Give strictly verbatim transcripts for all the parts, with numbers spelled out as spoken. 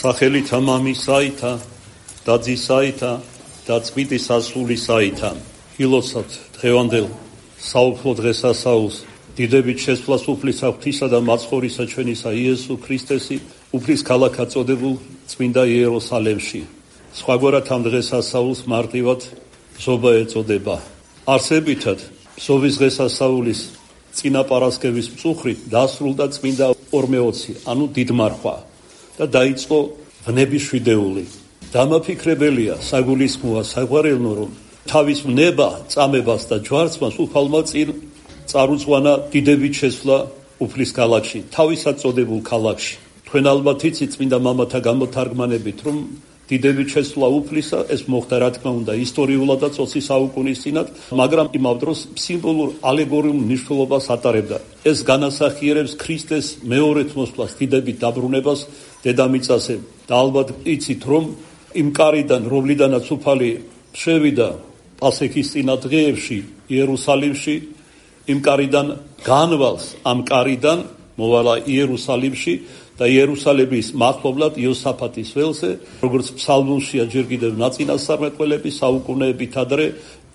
სახელითა მამისაითა და ძისაითა და წმინდის სასულისაითა. ილოცავთ დღევანდელ საუფლო დღესასწაულს, დიდებით შესვლას უფლისა ღვთისა და მაცხოვრისა ჩვენისა იესო ქრისტესი, უფლის ქალაქად წოდებულ წმინდა იერუსალემში. სხვაგვარად ამ დღესასწაულს მარტივად ზობა ეწოდება. არსებითად ზოვის დღესასწაულის წინა პარასკევის მწუხრით დასრულდა წმინდა ორმეოცი, ანუ დიდმარხვა და დაიწყო ვნების შვიდეული. დამაფიქრებელია, საგულისხმოა, საყვარელნო, რომ თავის ვნება, წამებას და ჯვარცმას უფალმა წინ წარუწვანა დიდებით შესვლა უფლის ქალაქში, თავისად წოდებულ ქალაქში. თქვენ ალბათ იცით წმინდა მამათა გამოთარგმანებით, რომ დიდებით შესვლა უფლისა ეს მოხდა რა თქმა უნდა ისტორიულად და ოცი საუკუნის წინათ, მაგრამ იმავ დროს სიმბოლურ ალეგორიულ მნიშვნელობას ატარებდა. ეს განასახიერებს ქრისტეს მეორედ მოსვლას, დიდებით დაბრუნებას დედამიწაზე. და ალბათ იცით, რომ იმ კარიდან, რომლიდანაც უფალი შევიდა პასექის წინა დღეებში იერუსალიმში, იმ კარიდან განვალს, ამ კარიდან მოვალა იერუსალიმში და იერუსალიმის მახლობლად იოსაფატის ველზე, როგორც ფსალმუნშია ჯერ კიდევ ნაწინასწარმეტყველები საუკუნეებით ადრე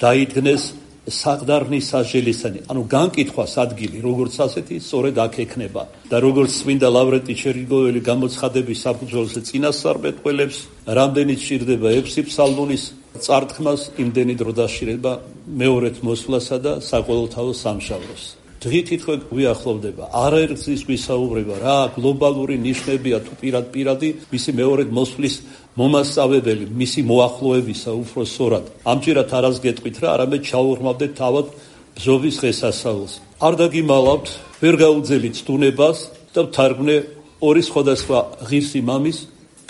დაიდგნეს საყდარნის სასჯელისანი, ანუ განკითხვას ადგილი, როგორც ასეთი, სწორედ აქ ექნება. და როგორც წმინდა ლავრენტი ჩერნიგოველი გამოცხადების საფუძველზე წინასწარმეტყველებს, რამდენიც სჭირდება ექვსი ფსალმუნის წარდგმას, იმდენი დრო დასჭირდება მეორედ მოსვლასა და საყოველთაო სამშაბლოს. დღითით ხო გვიახლოვდება, არაერთგზის გვისაუბრება, რა გლობალური ნიშნებია თუ პირად პირადი მისი მეორედ მოსვლის მომასწავებელი, მისი მოახლოებისა უფრო სწორად. ამჯერად არას გეტყვით რა, არამედ ჩაურმავდეთ თავად ბზოვის დღესასწაულს. არ დაგიმალავთ, ვერ გაუძელით სტუნებას და ვთარგმნე ორი სხვადასხვა ღირსი მამის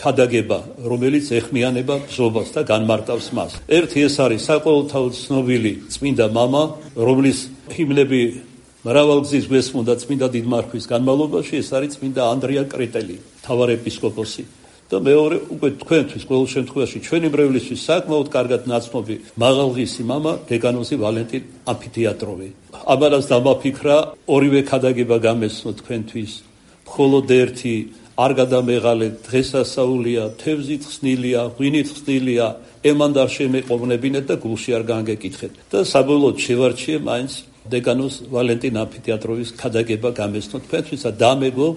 ქადაგება, რომელიც ეხმიანება ბზობას და განმარტავს მას. ერთი ეს არის საყოველთაო ცნობილი წმინდა მამა, რომლის ჰიმნები მრავალგზის გვესმოდა წმინდა დიდმარხვის განმავლობაში, ეს არის წმინდა ანდრია კრეტელი, მთავარეპისკოპოსი. და მეორე, უკვე თქვენთვის ყოველ შემთხვევაში ჩვენი მრევლისთვის საკმაოდ კარგად ნაცნობი მაღალღისი მამა დეგანოზი ვალენტინ ამფითეატროვი. ამას დამაფიქრა, ორივე ქადაგება გამესწრო თქვენთვის. მხოლოდ ერთი არ გადამეღალეთ, დღესასწაულია, თევზით ხსნილია, ღვინით ხსნილია, ემან არ შემეყოვნებინეთ და გულში არ განგეკითხეთ. და საბოლოოდ შევარჩიე მაინც დეგანოს ვალენტინ ამფითეატროვის ქადაგება გამესწრო თქვენთვის და დამეგო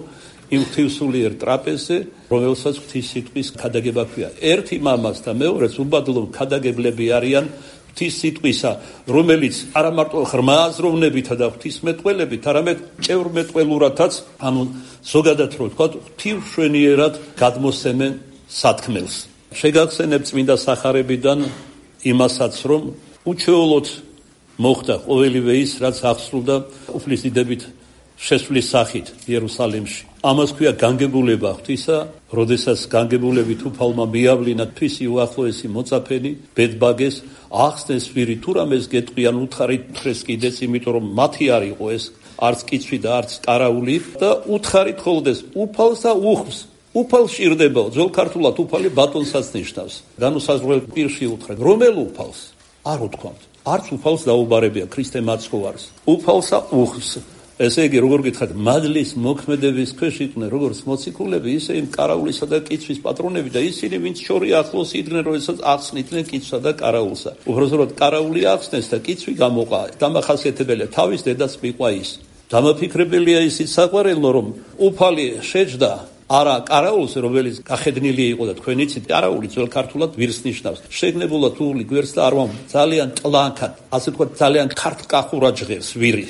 იმ ღვთისმსულიერ ტრაპეზზე, რომელსაც ღვთისმსიტყვის ქადაგება ქვია. ერთი მამას და მეორეს უბადლო ქადაგებლები არიან ღვთისმსიტყვისა, რომელიც არა მარტო ღრმა აზროვნებითა და ღვთისმეტყველებით, არამედ ჭევრმეტყველურათაც, ანუ ზოგადად რო ვთქვათ, ღვთისმშვენიერად გადმოსცემენ სათქმელს. შეგახსენებ წმინდა სახარებიდან იმასაც, რომ უჩვეულოდ მოხდა ყოველივე ის, რაც აღსრულდა უფლის დიდებით შესვლის სახით იერუსალიმში. ამას ქვია განგებულება ღვთისა, როდესაც განგებულებით უფალმა მიავლინა თვისი უახლოესი მოწაფენი, ბედბაგეს, ახსნეს ვირი თუ რამეს გეტყვიან უთხარით თხრეს კიდეც, იმიტომ რომ მათი არ იყო ეს არც კიცვი და არც კარაული და უთხარით ხოლდეს უფალს და უხმს. უფალს სჭირდებაო, ძველ ქართულად უფალი ბატონსაც ნიშნავს. განუსაზღვრელ პირში უთხრეთ, რომელ უფალს? არ უთქვამთ. არც უფალს დაუბარებია ქრისტე მაცხოვარს. უფალსა უხმს. ესე იგი, როგორ გითხარით, მადლის მოქმედების ქვეშ იყვნენ როგორც მოციქულები, ისე იმ კარაულისა და კიცხვის პატრონები და ისინი, ვინც შორი ახლოს იდგნენ, როდესაც ახსნიდნენ კიცხვსა და კარაულსა. უბრალოდ კარაული ახსნეს და კიცხვი გამოყა. დამახასიათებელია, თავის დედას მიყვა ის. დამაფიქრებელია ისიც საყვარელო, რომ უფალი შეჯდა არა კარაულს, რომელიც გახედნილი იყო და თქვენ იცით, კარაული ძველ ქართულად ვირს ნიშნავს. შეგნებულად უღლი გვერდს და არ ვამ, ძალიან ტლანქად, ასე ვთქვათ, ძალიან ქართკახურა ჟღერს ვირი.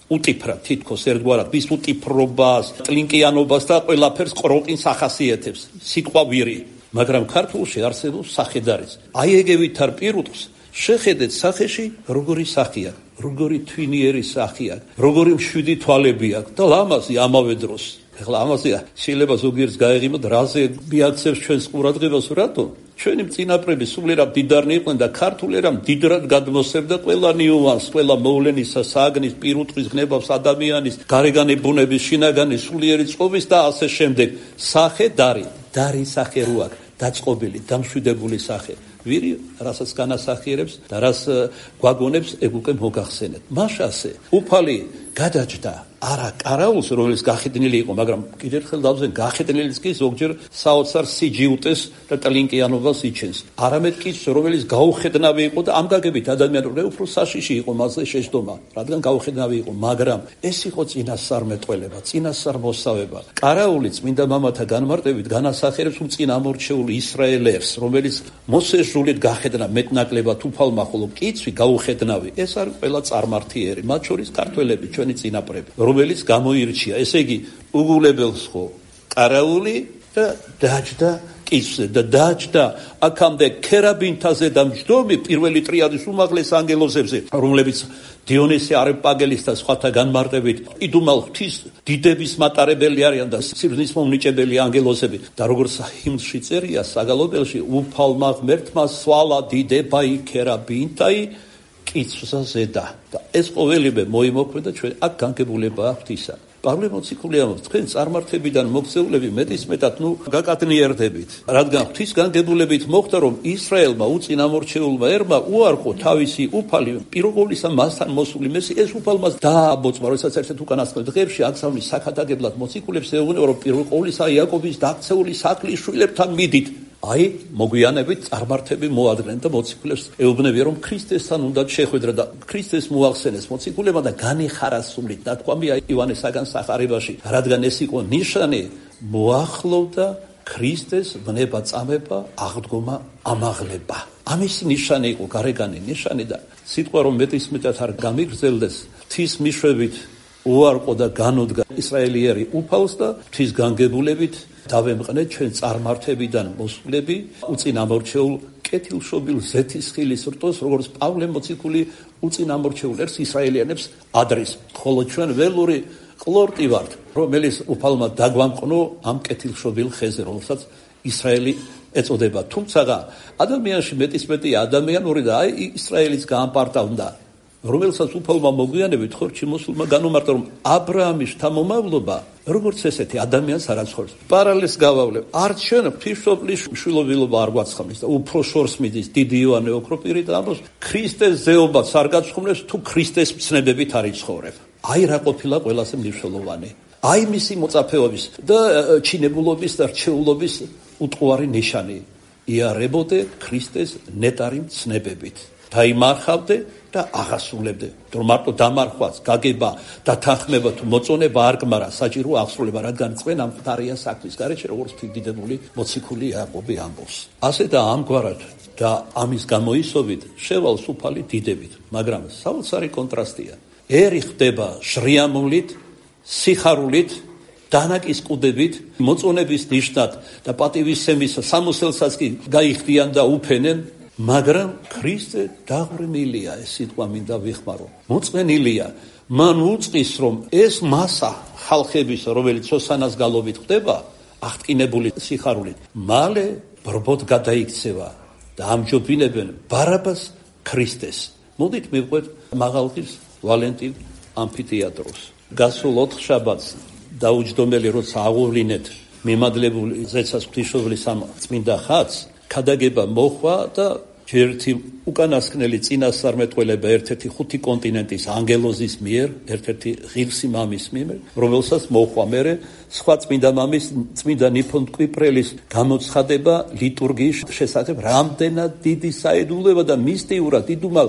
უტიფრა თითქოს ერთგვარად ვის უტიფრობას, ტლინკიანობას და ყველაფერს ყროყინს ახასიათებს, სიტყვა ვირი. მაგრამ ქართულში არსებობს სახედარიც. აი ეგევით არ პირუტყს, შეხედეთ სახეში როგორი სახია, როგორი თვინიერი სახია, როგორი მშვიდი თვალები აქვს და ლამაზი ამავე დროს. ეხლა ამაზე შეიძლება ზოგიერთს გაეღიმოთ, რაზე მიაქცევს ჩვენს ყურადღებას, რატო? ჩვენი წინაპრები სულიერად დიდარნი იყვნენ და ქართული რამ დიდრად გადმოსცემდა ყველა ნიუანს, ყველა მოვლენისა, საგნის, პირუტყვის, ღნებავს, ადამიანის, გარეგანი ბუნების, შინაგანი, სულიერი წყობის და ასე შემდეგ. სახე დარი, დარი სახე რო აქვს, დაწყობილი, დამშვიდებული სახე. ვირი რასაც განასახიერებს და რას გვაგონებს ეგ უკვე მოგახსენეთ. მაშასე უფალი გადაჭდა არა კარაულს, რომელიც გახედნილი იყო, მაგრამ კიდევ ერთხელ დავზენ გახედნილიც კი ზოგჯერ საოცარ სიჯიუტეს და ტლინკიანობას იჩენს. არამედ კი რომელიც გაუხედნავი იყო და ამ გაგებით ადამიანური უფრო საშიში იყო მასზე შეჯდომა, რადგან გაუხედნავი იყო, მაგრამ ეს იყო წინასწარმეტყველება, წინასწარმოსავება. კარაული წმინდა მამათა განმარტებით განასახიერებს უწინამორჩეულ ისრაელებს, რომელიც მოსეს ჟულით გახედნა მეტნაკლებად უფალმა, ხოლო კიცვი გაუხედნავი. ეს არის ყველა წარმართიერი, მათ შორის ქართველები, ჩვენი წინაპრები, რომელიც გამოირჩია, ესე იგი უგულებელს ხო კარაული და დაჯდა კიცვზე და დაჯდა აქამდე ქერაბინთაზე და მჯდომი პირველი ტრიადის უმაღლეს ანგელოზებზე, რომლებიც დიონისე არეპაგელის და სხვათა განმარტებით იდუმალ ღვთის დიდების მატარებელი არიან და სიბრძნის მომნიჭებელი ანგელოზები და როგორც ჰიმნში წერია საგალობელში უფალმა ღმერთმა სვალა დიდება იქერაბინთაი კიცვსა ზედა და ეს ყოველივე მოიმოქმედა ჩვენ აქ განგებულება ღვთისა. პავლე მოციქული ამბობს, თქვენ წარმართებიდან მოგზეულები მეტისმეტად ნუ გაკადნიერდებით, რადგან ღვთის განგებულებით მოხდა, რომ ისრაელმა უწინამორჩეულმა ერმა უარყო თავისი უფალი, პირობოლისა მასთან მოსული მესი, ეს უფალმას დააბოწმა, როდესაც ერთ-ერთ უკანასკნელ დღეებში აგზავნის საქადაგებლად მოციქულებს ეუბნება, რომ პირველ ყოვლისა იაკობის დაქცეული საქმის შვილებთან მიდით. აი, მოგვიანებით წარმართები მოადნენ და მოციქულებს ეუბნებიან, რომ ქრისტესთან უნდა შეხვედრა და ქრისტეს მოახსენეს მოციქულებმა და განიხარა სულით. ნათქვამია ივანესაგან სახარებაში, რადგან ეს იყო ნიშანი, მოახლოვდა ქრისტეს ვნება წამება, აღდგომა, ამაღლება. ამისი ნიშანი იყო, გარეგანი ნიშანი და სიტყვა რომ მეტისმეტად არ გამიგრძელდეს, ღვთის მიშვებით უარყო და განუდგა ისრაელიერი უფალს და ღვთის განგებულებით დავემყნეთ ჩვენ წარმართებიდან მოსვლები უწინამორჩეულ კეთილშობილ ზეთისხილის რტოს, როგორც პავლე მოციქული უწინამორჩეულ ერს ისრაელიანებს ადრის, ხოლო ჩვენ ველური ყლორტი ვართ, რომელიც უფალმა დაგვამყნო ამ კეთილშობილ ხეზე, რომელსაც ისრაელი ეწოდება. თუმცა ადამიანში მეტისმეტია ადამიანური და აი ისრაელის გაამპარტავდა, რომელსაც უფალმა მოგვიანებით ხორჩი მოსულმა განუმარტა, რომ აბრაამის შთამომავლობა როგორც ესეთი ადამიანს არ აცხოვრებს. პარალელს გავავლევ, არც ჩვენ ღვთისმშობლის შვილობილობა არ გვაცხამის და უფრო შორს მიდის დიდი იოანე ოქროპირი და ამბობს, ქრისტეს ზეობაც არ გაცხოვნებს თუ ქრისტეს მცნებებით არ იცხოვრებ. აი რა ყოფილა ყველაზე მნიშვნელოვანი. აი მისი მოწაფეობის და ჩინებულობის და რჩეულობის უტყუარი ნიშანი. იარებოდე ქრისტეს ნეტარი მცნებებით. დაიმარხავდე და აღასრულებდე. რომ მარტო დამარხვაც, გაგება და თანხმება თუ მოწონება არ გმარა, საჭირო აღსრულება, რადგან წვენ ამ მყარია საქმის გარეშე, როგორც დიდებული მოციქული იაკობი ამბობს. ასე და ამგვარად და ამის გამოისობით შევალს უფალი დიდებით, მაგრამ საოცარი კონტრასტია. ერი ხდება შრიამულით, სიხარულით, დანაკის კუდებით, მოწონების ნიშნად და პატივისცემის სამოსელსაც კი გაიხდიან და უფენენ, მაგრამ ქრისტე დაღვრენილია, ეს სიტყვა მინდა ვიხმარო. მოწყენილია, მან უწყის, რომ ეს მასა ხალხების, რომელიც ოსანას გალობით ხდება, აღტკინებული სიხარულით, მალე ბრბოდ გადაიქცევა და ამჯობინებენ ბარაბას ქრისტეს. მოდით მივყვეთ მაღალღის ვალენტინ ამფითეატროს. გასულ ოთხ შაბათს დაუჯდომელი როცა აღუვლინეთ მიმადლებული ზეცას ღვთისმშობლის ამ წმინდა ხატს, ქადაგება მოხვა და ერთი უკანასკნელი წინასწარმეტყველება ერთ-ერთი ხუთი კონტინენტის ანგელოზის მიერ, ერთ-ერთი ღირსი მამის მიერ, რომელსაც მოხვა მერე სხვა წმინდა მამის, წმინდა ნიფონ კვიპრელის გამოცხადება ლიტურგიის შესახებ, რამდენად დიდი საიდუმლოება და მისტიურად იდუმალ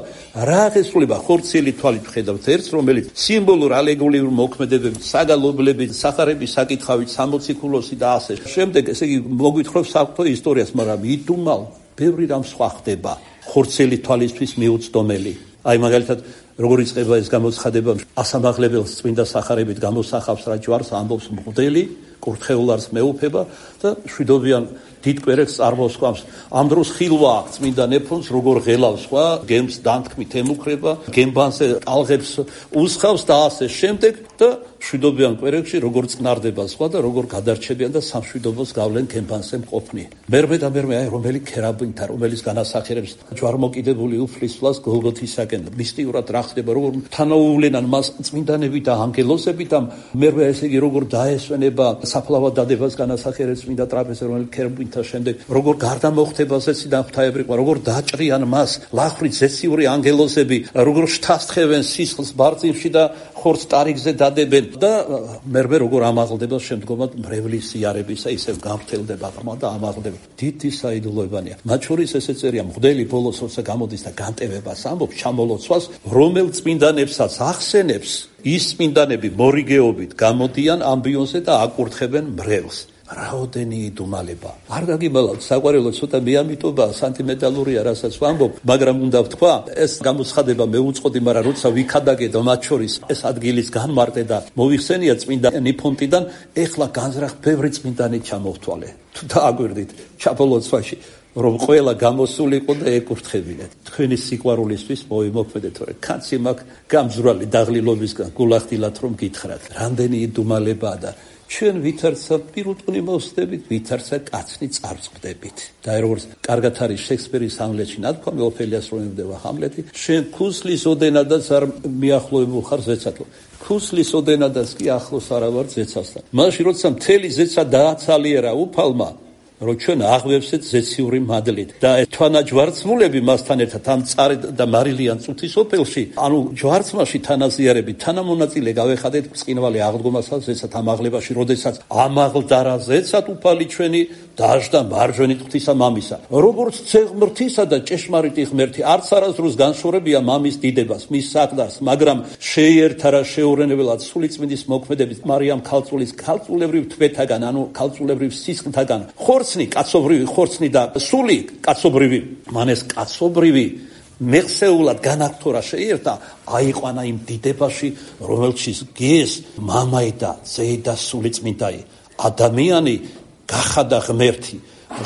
რა აღესრულება ხორციელი თვალით ვხედავთ ერთს, რომელიც სიმბოლურ ალეგორიულ მოქმედებებით, საგალობლებით, სახარების საკითხავით, სამოციქულოსი და ასე შემდეგ, ესე იგი მოგვითხრობს საღვთო ისტორიას, მაგრამ იდუმალ ბევრი რამ სხვა ხდება ხორცელი თვალისთვის მიუწდომელი. აი მაგალითად როგორ იწყება ეს გამოცხადება, ასამაღლებელს წმინდა სახარებით გამოსახავს რა ჯვარს, ამბობს მღვდელი კურთხეულარს მეუფება და შვიდობიან დიდ კვერეთს წარმოსხამს. ამ დროს ხილვა აქვს წმინდა ნეფონს, როგორ ღელავს სხვა, გემს დანთქმით ემუქრება, გემბანზე ტალღებს უსხავს და ასე შემდეგ და შვიდობიან კვერეთში როგორ წნარდება სხვა და როგორ გადარჩებიან და სამშვიდობოს გავლენ გემბანზე მყოფნი. მერმე და მერმე აი რომელი ქერაბინთა, რომელიც განასახიერებს ჯვარმოკიდებული უფლისვლას გოლგოთისაკენ. მისტიურად რა ხდება, როგორ თანაუვლენან მას წმინდანები და ანგელოზები და მერმე ესე იგი როგორ დაესვენება საფლავად დადებას განასახიერებს წმინდა ტრაპეზზე, რომელიც ქერუბინთა შემდეგ როგორ გარდა მოხდება ზეციდან ღვთაებრი ყვა, როგორ დაჭრიან მას ლახვრი ზეციური ანგელოზები, როგორ შთასთხევენ სისხლს ბარძიმში და ხორცს ტარიგზე დადებენ და მერმე როგორ ამაღლდება შემდგომად მრევლის იარებისა, ისევ გამრთელდება ღრმა და ამაღლდება. დიდი საიდუმლოებანია. მათ შორის ესე წერია, მღვდელი ბოლოს როცა გამოდის და განტევებას ამბობს, ჩამოლოცვას, რომელ წმინდანებსაც ახსენებს, ის წმინდანები მორიგეობით გამოდიან ამბიონზე და აკურთხებენ მრევლს. რაოდენი იდუმალება. არ გაგიმალავთ, საყვარელო ცოტა მეამიტობა, სანტიმენტალურია, რასაც ვამბობ, მაგრამ უნდა ვთქვა, ეს გამოცხადება მეუწყოდი, მაგრამ როცა ვიქადაგე და მათ შორის ეს ადგილის განმარტე და მოვიხსენია წმინდა ნიფონტიდან, ეხლა განზრახ ბევრი წმინდანი ჩამოვთვალე. თუ დააგვირდით ჩაპოლოცვაში, რომ ყველა გამოსულიყო და ეკურთხებინეთ. თქვენი სიყვარულისთვის მოვიმოქმედეთ, თორე კაცი მაქვს გამძვრალი დაღლილობისგან გულახდილად რომ გითხრათ. რამდენი იდუმალებაა და ჩვენ ვითარცა პირუტყვი მოვსდებით, ვითარცა კაცნი წარწყდებით. და როგორც კარგად არის შექსპირის ჰამლეტში ნათქვამი, ოფელიას რომ ემდებოდა ჰამლეტი, შენ ქუსლის ოდენადაც არ მიახლოებულ ხარ ზეცათო. ქუსლის ოდენადაც კი ახლოს არა ვარ ზეცასთან. მაშინ როცა მთელი ზეცა დააცალიერა უფალმა, რომ ჩვენ აღვევსეთ ზეციური მადლით და თვანაჯვარცმულები მასთან ერთად ამ წარე და მარილიან წუთის ოფელში, ანუ ჯვარცმაში თანაზიარები, თანამონაწილე გავეხადეთ ბრწყინვალე აღდგომასა ზეცად ამაღლებაში, როდესაც ამაღლდა რა ზეცად უფალი ჩვენი დაждდა მარჯვენით ღვთისა მამისა. როგორც ცეღმრთისა და ჭეშმარიტი ღმერთი არც არასდროს განშორებია მამის დიდებას, მის საყდარს, მაგრამ შეიერთა რა შეურენებელად სულიწმინდის მოქმედებით მარიამ ქალწულის ქალწულებრივ თვეთაგან, ანუ ქალწულებრივ სისხლთაგან, ხორცნი, კაცობრივი ხორცნი და სული კაცობრივი, მანეს კაცობრივი მეხსეულად განაგთორა შეიერთა, აიყვანა იმ დიდებაში, რომელშიც გეს მამაი და ძეი და სულიწმინდაი. ადამიანი გახადა ღმერთი.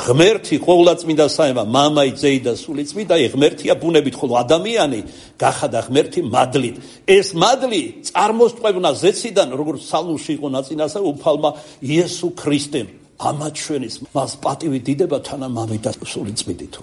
ღმერთი ყოვლადწმინდა საემა, მამაი, ძეი და სულიწმინდაი ღმერთია ბუნებით, ხოლო ადამიანი გახადა ღმერთი მადლით. ეს მადლი წარმოსტყვევნა ზეციდან, როგორც სალმში იყო ნაწინასა უფალმა იესო ქრისტემ. ამათ ჩვენის მას პატივი დიდება თანამამით და სულიწმინდით.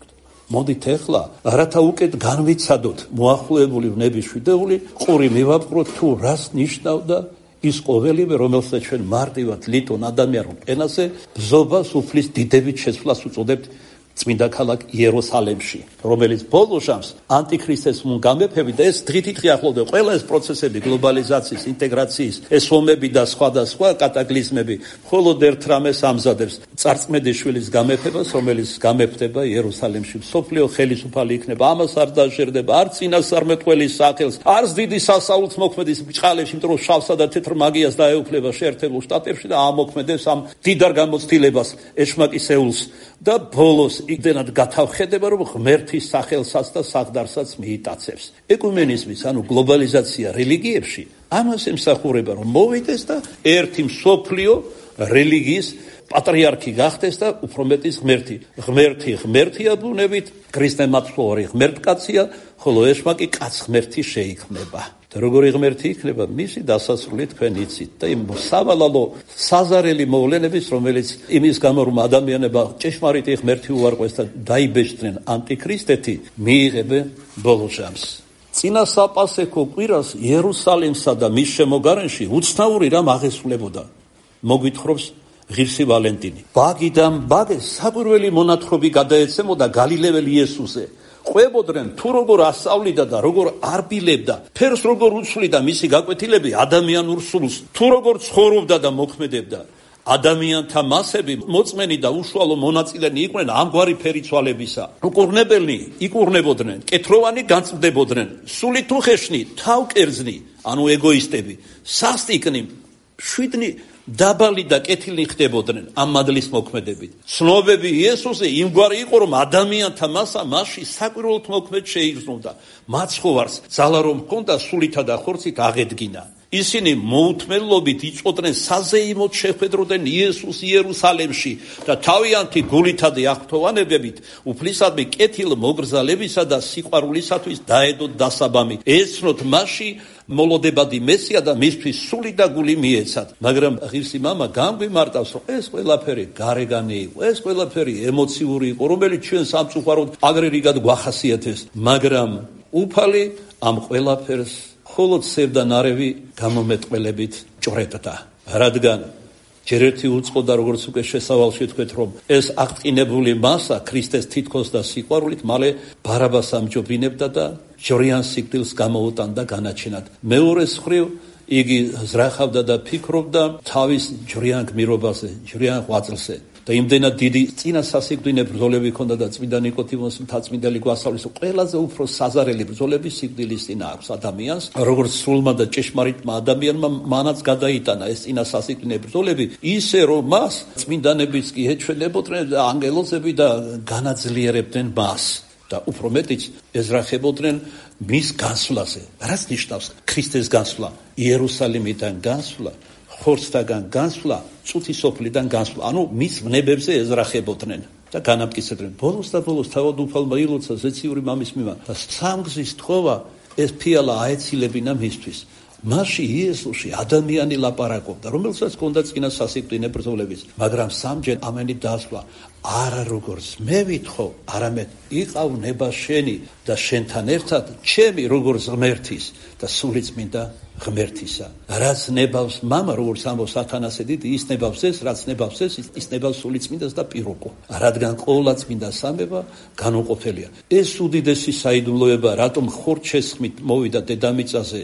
მოდით ეხლა რათა უკეთ განვიცადოთ მოახლოებული ვნების შვიდეული, ყური მივაპყროთ თუ რას ნიშნავდა ის ყოველივე, რომელსაც ჩვენ მარტივად ლიტონ ადამიანურ ენაზე ბზობას უფლის დიდებით შეცვლას უწოდებთ წმინდა ქალაქ იერუსალემში, რომელიც ბოლო ჟამს ანტიქრისტეს მგამეფები და ეს დღითიდღე ახლოვდება ყველა ეს პროცესები გლობალიზაციის, ინტეგრაციის, ეს ომები და სხვადასხვა კატაკლიზმები, მხოლოდ ერთ რამეს ამზადებს, წარწმედიშვილის გამეფებას, რომელიც გამეფდება იერუსალემში. მსოფლიო ხელისუფალი იქნება, ამას არ დაჟერდება, არ წინასწარმეტყველის სახელს, არც დიდი სასაულს მოქმედის ბჭყალებში, იმიტომ რომ შავსა და თეთრ მაგიას დაეუფლება შეერთებულ შტატებში და ამოქმედებს ამ დიდარ გამოცდილებას, ეშმაკისეულს და ბოლოს იმდენად გათავხედება, რომ ღმერთის სახელსაც და საყდარსაც მიიტაცებს. ეკუმენიზმის, ანუ გლობალიზაცია რელიგიებში ამას ემსახურება, რომ მოვიდეს და ერთი მსოფლიო რელიგიის პატრიარქი გახდეს და უფრო მეტის ღმერთი. ღმერთი ღმერთია ბუნებით, ქრისტემაცხოვარი ღმერთკაცია, ხოლო ეშმაკი კაც ღმერთი შეიქმნება. და როგორი ღმერთი იქნება, მისი დასასრული თქვენ იცით და იმ სავალალო საზარელი მოვლენების, რომელიც იმის გამო რომ ადამიანება ჭეშმარიტი ღმერთი უარყვეს და დაიბეჭდნენ ანტიქრისტეთი, მიიღებენ ბოლო ჟამს. წინა საპასექო კვირას იერუსალიმსა და მის შემოგარენში უცნაური რამ აღესრულებოდა. მოგვითხრობს ღირსი ვალენტინი. ბაგიდან ბაგეს საკვირველი მონათხრობი გადაეცემოდა გალილეველი იესოზე. ყვებოდნენ თუ როგორ ასწავლიდა და როგორ არბილებდა, ფერს როგორ უცვლიდა მისი გაკვეთილები ადამიანურ სულს, თუ როგორ ცხოვრობდა და მოქმედებდა. ადამიანთა მასები მოწმენი და უშუალო მონაწილენი იყვნენ ამგვარი ფერიცვალებისა. უკურნებელნი იკურნებოდნენ, კეთროვანი განწყდებოდნენ, სული თუ ხეშნი, თავკერძნი, ანუ ეგოისტები, სასტიკნი, შვიდნი დაბალი და კეთილნი ხდებოდნენ ამ მადლის მოქმედებით. ცნობები იესოზე იმგვარი იყო, რომ ადამიანთა მასა მასში საკვირველთ მოქმედ შეიგრძნოდა. მაცხოვარს ძალა რომ ჰქონდა სულითა და ხორცით აღედგინა. ისინი მოუთმენლობით იწოდნენ საზეიმოდ შეხვედროდნენ იესოს იერუსალემში და თავიანთი გულითა და აღფრთოვანებებით უფლისადმი კეთილ მოგრძალებისა და სიყვარულისათვის დაედოთ დასაბამი. ეცნოთ მასში მოლოდებადი მესია და მისთვის სული და გული მიეცათ. მაგრამ ღირსი მამა გამგვიმარტავს, რომ ეს ყველაფერი გარეგანი იყო, ეს ყველაფერი ემოციური იყო, რომელიც ჩვენ სამწუხაროდ აგრერიგად გვახასიათებს. მაგრამ უფალი ამ ყველაფერს მხოლოდ სევდა ნარევი გამომეტყველებით ჭრებდა. რადგან ჯერ ერთი უწყოდა, როგორც უკვე შესავალში თქვეთ, რომ ეს აღტყინებული მასა ქრისტეს თითქოს და სიყვარულით მალე ბარაბას ამჯობინებდა და ჯვრიან სიკვდილს გამოუტანდა განაჩენად. მეორეს მხრივ იგი ზრახავდა და ფიქრობდა თავის ჯვრიან გმირობაზე, ჯვრიან ღვაწლზე. და იმდენად დიდი წინა სასიკვდინე ბრძოლები ჰქონდა და წმინდა ნიკოდიმოს მთაწმინდელი გვასწავლის, ყველაზე უფრო საზარელი ბრძოლები სიკვდილის წინ აქვს ადამიანს, როგორც სრულმა და ჭეშმარიტმა ადამიანმა მანაც გადაიტანა ეს წინა სასიკვდინე ბრძოლები, ისე რომ მას წმინდანებიც კი ეჩვენებოდნენ და ანგელოზები და განაძლიერებდნენ მას და უფრო მეტიც ეზრახებოდნენ მის განსვლაზე. რაც ნიშნავს ქრისტეს განსვლა, იერუსალიმიდან განსვლა, ხორცთაგან განსვლა, წუთი სოფლიდან განსვლა, ანუ მის ვნებებზე ეზრახებოდნენ და განამტკიცებდნენ. ბოლოს და ბოლოს თავად უფალმა ილოცა ზეციური მამის მიმართ და სამგზის თხოვა ეს ფიალა აეცილებინა მისთვის. მასში იესოში ადამიანი ლაპარაკობდა, რომელსაც ჰქონდა წინა სასიკვდინე ბრძოლებიც, მაგრამ სამჯერ ამენი დასვლა, არა როგორც მე ვითხოვ, არამედ იყავნება შენი და შენთან ერთად ჩემი როგორც ღმერთის და სულიწმინდა ღმერთისა. რაც ნებავს მამა, როგორც ამბობს ათანასე დიდი, ის ნებავს ეს, რაც ნებავს ეს, ის ნებავს სულიწმინდას და პირუკო. რადგან ყოვლა წმინდა სამება განუყოფელია. ეს უდიდესი საიდუმლოება, რატომ ხორჩესხმით მოვიდა დედამიწაზე,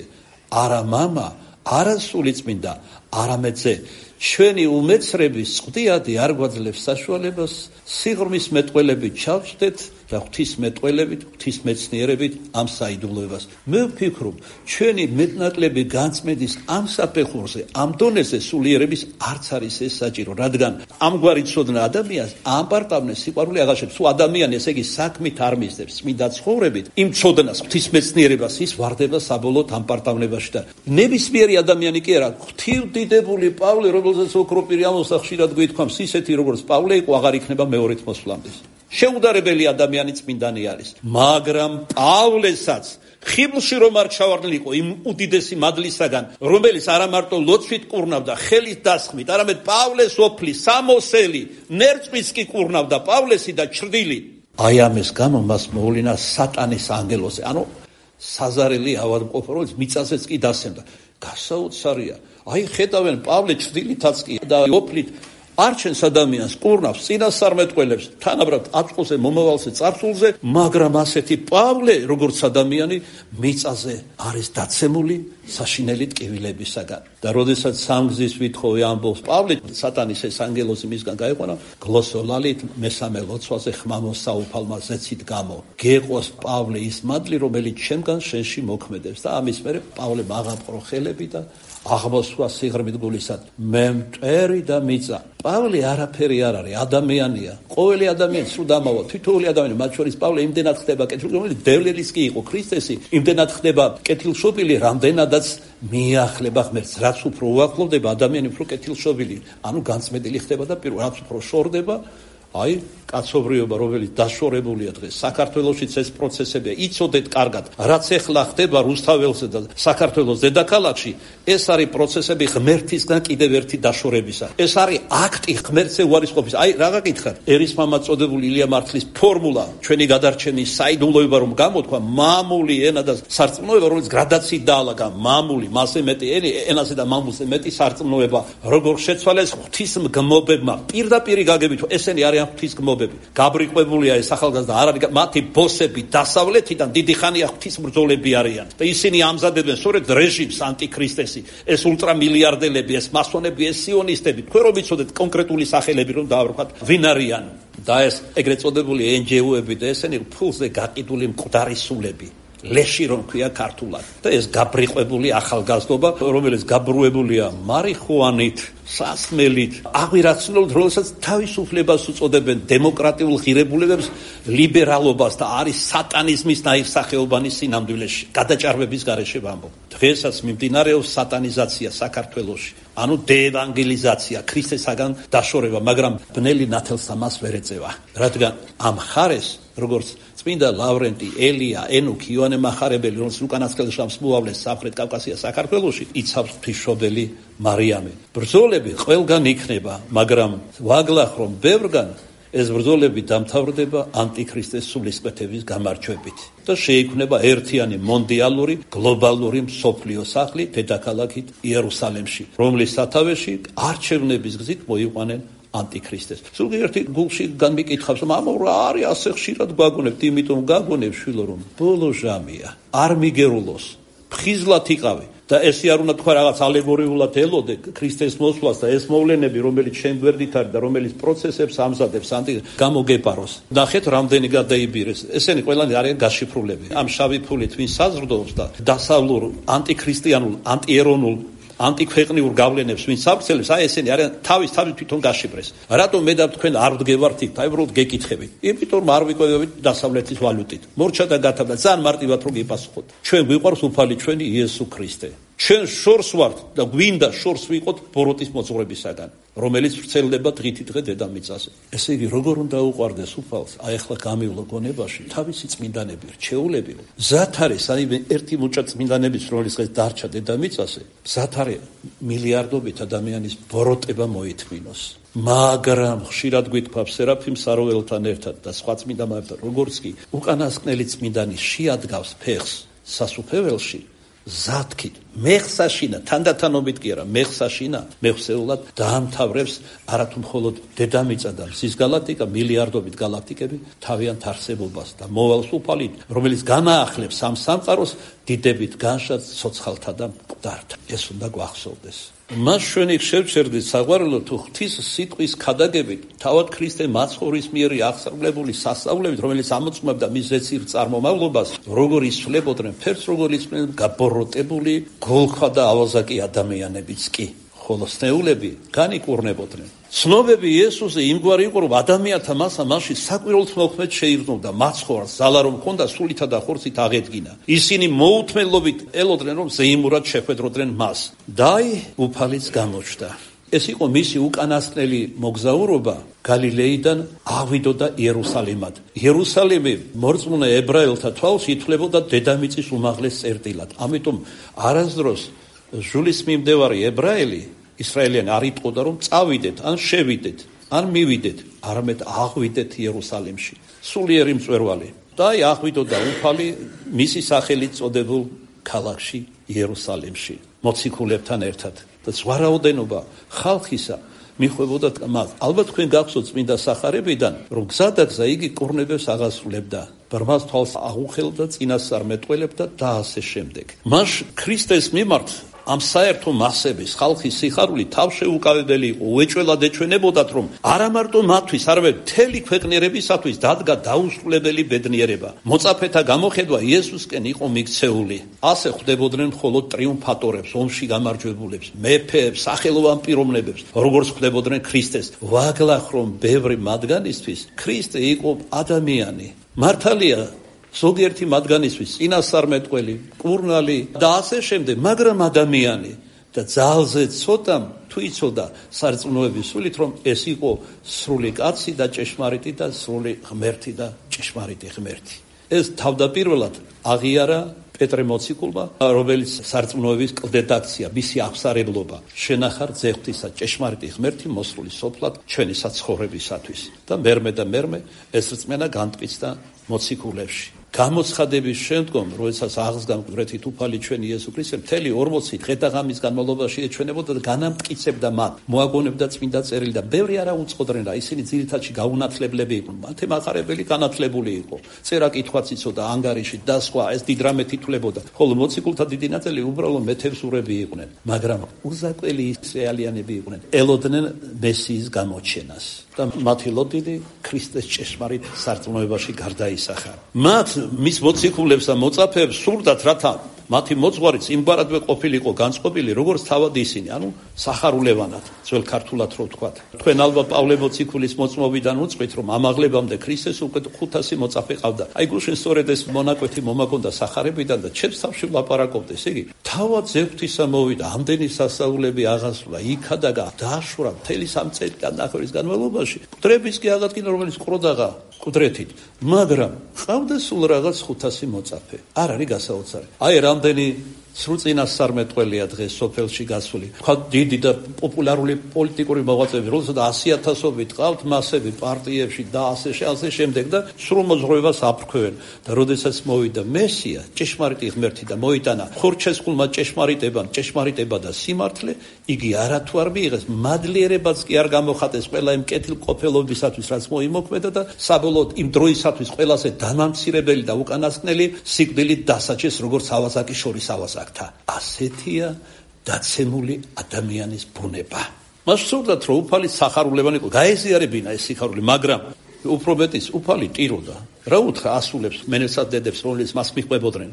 არა მამა, არა სულიწმინდა, არამედ ზე. ჩვენი უმეცრების წვდიადი არ გვაძლევს საშუალებას სიღრმის მეტყველებით ჩავშდეთ და ღვთისმეტყველებით, ღვთისმეცნიერებით ამ საიდუმლოებას. მე ვფიქრობ, ჩვენი მეტნაკლები განწმენდის ამ საფეხურზე, ამ დონეზე სულიერების არც არის ეს საჭირო, რადგან ამგვარი ცოდნა ადამიანს ამპარტავნეს სიყვარული აღაშებს. თუ ადამიანი ესე იგი საქმით არ მისდევს წმინდა ცხოვრებით, იმ ცოდნას, ღვთისმეცნიერებას ის ვარდება საბოლოოდ ამპარტავნებაში და ნებისმიერი ადამიანი კი არა, ღვთივდიდებული პავლე, რომელზეც ოქროპირი ამოსა ხშირად გვითქვამს, ისეთი როგორც პავლე იყო, აღარ იქნება მეორედ მოსვლამდე. შეუდარებელი ადამიანი წმინდანი არის, მაგრამ პავლესაც ხიბლში რომ არ ჩავარდნილიყო იმ უდიდესი მადლისაგან, რომელიც არა მარტო ლოცვით კურნავდა, ხელის დასხმით, არამედ პავლეს ოფლი, სამოსელი, ნერწმის კი კურნავდა პავლესი და ჩრდილი. აი ამის გამო მას მოულინა სატანის ანგელოზე, ანუ საზარელი ავადმყოფი, რომელიც მიწაზეც კი დასცემდა. გასაოცარია. აი ხედავენ პავლე ჩრდილითაც კი და ოფლით არჩენს ადამიანს, კურნავს, წინასწარმეტყველებს, თანაბრად აწყვოზე, მომავალზე, წარსულზე, მაგრამ ასეთი პავლე, როგორც ადამიანი, მიწაზე არის დაცემული საშინელი ტკივილებისაგან. და როდესაც სამგზის ვითხოვე ამბობს პავლე, სატანის ეს ანგელოზი მისგან გაიყვანა, გლოსოლალით მესამე ლოცვაზე ხმამო საუფალმა ზეცით გამო. გეყოს პავლე ის მადლი, რომელიც ჩემგან შენში მოქმედებს და ამის მერე პავლე აღაპყრო ხელები და აღმოსვა სიღრმით გულისად. მე მტვერი და მიწა. პავლე არაფერი არ არის, ადამიანია. ყოველი ადამიანი სულ დამავა, თითოეული ადამიანი, მათ შორის პავლე იმდენად ხდება კეთილშობილი, რომელიც დევლელის კი იყო ქრისტესი, იმდენად ხდება კეთილშობილი, რამდენადაც მიახლება ღმერთს. რაც უფრო უახლოვდება ადამიანი, უფრო კეთილშობილი, ანუ განწმენდილი ხდება და პირველ რაც უფრო შორდება, აი კაცობრიობა, რომელიც დაშორებულია დღეს საქართველოშიც ეს პროცესებია. იცოდეთ კარგად, რაც ეხლა ხდება რუსთაველსა და საქართველოს დედაქალაქში, ეს არის პროცესები ღმერთისგან კიდევ ერთი დაშორებისა. ეს არის აქტი ღმერთზე უარისყოფის. აი რა გაკითხათ? ერისმამად წოდებული ილია მართლის ფორმულა, ჩვენი გადარჩენის საიდუმლოება რომ გამოთქვა, მამული ენა და სარწმუნოება, რომელიც გრადაციით დაალაგა, მამული, მასზე მეტი ენაზე და მამულზე მეტი სარწმუნოება, როგორ შეცვალეს ღვთისმგმობებმა, პირდაპირი გაგებით, ესენი არიან ღვთისმგმობები. გაბრიყვებულია ეს ახალგაზრდა, არ არის მათი ბოსები დასავლეთიდან დიდი ხანია ღვთისმბრძოლები არიან და ისინი ამზადებენ სწორედ რეჟიმს ანტიქრისტესი, ეს ულტრამილიარდელები, ეს მასონები, ეს სიონისტები. თქვენ რომ იცოდეთ კონკრეტული სახელები რომ დაავრქვათ ვინ არიან და ეს ეგრეთ წოდებული εν ჯი ო-ები და ესენი ფულზე გაყიდული მკვდარი სულები, ლეში რომ ქვია ქართულად და ეს გაბრიყვებული ახალგაზრდობა, რომელიც გაბრუებულია მარიხუანით, სასმელით, აღვირაცნობით, რომელსაც თავისუფლებას უწოდებენ, დემოკრატიულ ღირებულებებს, ლიბერალობას და არის სატანიზმის ნაირსახეობანი სინამდვილეში, გადაჭარბების გარეშე ვამბობ. დღესაც მიმდინარეობს სატანიზაცია საქართველოში, ანუ დეევანგელიზაცია, ქრისტესაგან დაშორება, მაგრამ ბნელი ნათელს ამას ვერ ეწევა, რადგან ამ ხარეს, როგორც წმინდა ლავრენტი, ელია, ენუქი, იოანე მახარებელი, რომელიც უკანასკნელში მოავლეს სამხრეთ კავკასიას საქართველოში, იცავს ღვთისმშობელი მარიამი. ბრძოლები ყველგან იქნება, მაგრამ ვაგლახ რომ ბევრგან ეს ბრძოლები დამთავრდება ანტიქრისტეს სულისკვეთების გამარჯვებით და შეიქმნება ერთიანი მონდიალური გლობალური მსოფლიო სახლი დედაქალაქით იერუსალიმში, რომლის სათავეში არჩევნების გზით მოიყვანენ ანტიქრისტეს. ზოგიერთი გულში განმიკითხავს, რომ ამო რა არის ასე ხშირად გვაგონებთ, იმიტომ გაგონებ შვილო, რომ ბოლო ჟამია, არ მიგერულოს, ფხიზლად იყავი. და ესე არ უნდა თქვა რაღაც ალეგორიულად ელოდე ქრისტეს მოსვლას და ეს მოვლენები, რომელიც შენ გვერდით არის და რომელიც პროცესებს ამზადებს ანტი გამოგეპაროს. ნახეთ, რამდენი გადაიბირეს. ესენი ყველანი არიან გაშიფრულები. ამ შავი ფულით ვინ საზრდოობს და დასავლურ ანტიქრისტიანულ, ანტიერონულ ანტიქვეყნიურ გავლენებს ვინ საფრთხელებს, აი ესენი არიან თავის თავის თვითონ გაშიფრეს. რატომ მე და თქვენ არ ვდგევართ იქ, აი უბრალოდ გეკითხებით. იმიტომ არ ვიკვებებით დასავლეთის ვალუტით. მორჩა და გათავდა, ძალიან მარტივად რო გიპასუხოთ. ჩვენ გვიყვარს უფალი ჩვენი იესო ქრისტე. ჩვენ შორს ვართ და გვინდა შორს ვიყოთ ბოროტის მოძღვრებისაგან, რომელიც ვრცელდება დღითი დღე დედამიწაზე. ესე იგი, როგორ უნდა უყვარდეს უფალს? აი ახლა გამივლო გონებაში თავისი წმინდანები, რჩეულები. მზად არის, აი ერთი მუჭა წმინდანების, რომელიც დღეს დარჩა დედამიწაზე, მზად არის მილიარდობით ადამიანის ბოროტება მოითმინოს. მაგრამ ხშირად გვითქვამს სერაფიმ საროველთან ერთად და სხვა წმინდანებთან, როგორც კი უკანასკნელი წმინდანი შეადგავს ფეხს სასუფეველში, ზათქით მეხსაშინა, თანდათანობით კი არა, მეხსაშინა, მეხსეულად დაამთავრებს არათუ მხოლოდ დედამიწა და მზის გალაქტიკა, მილიარდობით გალაქტიკები თავიანთ არსებობას და მოვალს უფალი, რომელიც განაახლებს ამ სამყაროს დიდებით განშად ცოცხალთა და მკვდართა. ეს უნდა გვახსოვდეს. მას ჩვენი შევჩერდით საყვარელო თუ ღვთის სიტყვის ქადაგებით, თავად ქრისტე მაცხოვრის მიერ აღსრულებული სასწაულებით, რომელიც ამოწმებდა მის ზეცირ წარმომავლობას, როგორ ისვლებოდნენ ფერს, როგორ ისვლებოდნენ გაბოროტებული გოლხა და ავაზაკი ადამიანებიც კი, ხოლო სნეულები განიკურნებოდნენ. ცნობები იესოზე იმგვარი იყო, რომ ადამიანთა მასა მასში საკვირველთ მოქმედ შეირზმოდა, მაცხოვარს ზალა რომ ჰქონდა, სულითა და ხორცით აღედგინა. ისინი მოუთმენლობით ელოდნენ, რომ ზეიმურად შეხვედროდნენ მას. და აი უფალიც გამოჩნდა. ეს იყო მისი უკანასკნელი მოგზაურობა გალილეიდან ავიდოდა იერუსალიმად. იერუსალიმი მორწმუნე ებრაელთა თვალში ითვლებოდა დედამიწის უმაღლეს წერტილად. ამიტომ არასდროს ჟულის მიმდევარი ებრაელი ისრაელიანი არ იტყოდა, რომ წავიდეთ, ან შევიდეთ, ან მივიდეთ, არამედ აღვიდეთ იერუსალიმში. სულიერი მწვერვალი. და აი აღვიდოდა უფალი მისი სახელით წოდებულ ქალაქში იერუსალიმში, მოციქულებთან ერთად. და ზვარაოდენობა ხალხისა მიხვებოდა მას. ალბათ თქვენ გახსოვთ წმინდა სახარებიდან, რომ გზადაგზა იგი კურნებებს აღასრულებდა, ბრმას თვალს აღუხელდა, წინასწარ მეტყველებდა და ასე შემდეგ. მას ქრისტეს მიმართ ამ საერთო მასების ხალხის სიხარული თავშეუკავებელი იყო, უეჭველად ეჩვენებოდათ, რომ არა მარტო მათთვის, არამედ მთელი ქვეყნიერებისათვის დადგა დაუსრულებელი ბედნიერება. მოწაფეთა გამოხედვა იესოსკენ იყო მიქცეული. ასე ხვდებოდნენ მხოლოდ ტრიუმფატორებს, ომში გამარჯვებულებს, მეფეებს, სახელოვან პიროვნებებს, როგორც ხვდებოდნენ ქრისტეს. ვაგლახრომ ბევრი მათგანისთვის ქრისტე იყო ადამიანი. მართალია ზოგიერთი მათგანისთვის წინასწარმეტყველი, კურნალი და ასე შემდეგ, მაგრამ ადამიანი და ძალზე ცოტამ თუ იცოდა სარწმუნოების სულით, რომ ეს იყო სრული კაცი და ჭეშმარიტი და სრული ღმერთი და ჭეშმარიტი ღმერთი. ეს თავდაპირველად აღიარა პეტრე მოციქულმა, რომელიც სარწმუნოების კლდედაქცია, მისი აღსარებლობა, შენახარ ძეღვთისა ჭეშმარიტი ღმერთი მოსრული სოფლად ჩვენი საცხოვრებისათვის. და მერმე და მერმე ეს რწმენა განტკიცდა მოციქულებში. გამოცხადების შემდგომ, როდესაც აღსდგა მკვდრეთით უფალი ჩვენი იესო ქრისტე, მთელი ორმოცი დღე და ღამის განმავლობაში ეჩვენებოდა და განამტკიცებდა მათ, მოაგონებდა წმინდა წერილი და ბევრი არა უწყოდრენ რა, ისინი ძირითადში გაუნათლებლები იყვნენ, მათე მახარებელი განათლებული იყო, წერა კითხვაც იცოდა ანგარიში და სხვა, ეს დიდ რამე თითვლებოდა, ხოლო მოციქულთა დიდი ნაწილი უბრალოდ მეთევზურები იყვნენ, მაგრამ უზაკველი ისრაელიანები იყვნენ, ელოდნენ მესიის გამოჩენას და მათი ლოდინი ქრისტეს ჭეშმარიტ სარწმუნოებაში გარდაისახა. მათ მის მოციქულებს და მოწაფეებს სურდათ, რათა მათი მოძღვარიც იმგვარადვე ყოფილიყო განწყობილი, როგორც თავად ისინი, ანუ სახარულევანად, ძველ ქართულად რო ვთქვათ. თქვენ ალბათ პავლე მოციქულის მოწმობიდან უწყვით, რომ ამაღლებამდე ქრისტეს უკვე ხუთასი მოწაფე ყავდა. აი გუშინ სწორედ ეს მონაკვეთი მომაგონდა სახარებიდან და ჩემს თავში ვლაპარაკობდეს, იგი თავად ზეღვთისა მოვიდა, ამდენი სასწაულები აღასრულა, იქადაგა დააშურა მთელი სამ წელიწადის განმავლობაში. მკვდრების კი აღადგინა, რომელიც ყროდაღა მკვდრეთით, მაგრამ ყავდა სულ რაღაც ხუთასი მოწაფე. არ არის გასაოცარი. აი რამდენი სრულ წინასწარმეტყველია დღეს სოფელში გასული. თქვა დიდი და პოპულარული პოლიტიკური მოღვაწეები, როდესაც ასი ათასობით ყავთ მასები პარტიებში და ასე ასე შემდეგ და სრულ მოძღვრებას აფრქვევენ. და როდესაც მოვიდა მესია, ჭეშმარიტი ღმერთი და მოიტანა ხორჩესხულმა ჭეშმარიტებამ, ჭეშმარიტება და სიმართლე, იგი არათუ არ მიიღეს, მადლიერებაც კი არ გამოხატეს ყველა იმ კეთილყოფელობისათვის, რაც მოიმოქმედა და საბოლოოდ იმ დროისათვის ყველაზე დამამცირებელი და უკანასკნელი სიკვდილით დასაჯეს, როგორც ავაზაკის შორის ავაზაკთა. ასეთია დაცემული ადამიანის ბუნება. მას სურდათ, რომ უფალი სახარულებანი იყო, გაეზიარებინა ეს სიხარული, მაგრამ უფრო მეტის უფალი ტიროდა. რა უთხრა ასულებს, მენელსა დედებს, რომლებიც მას მიყვებოდნენ.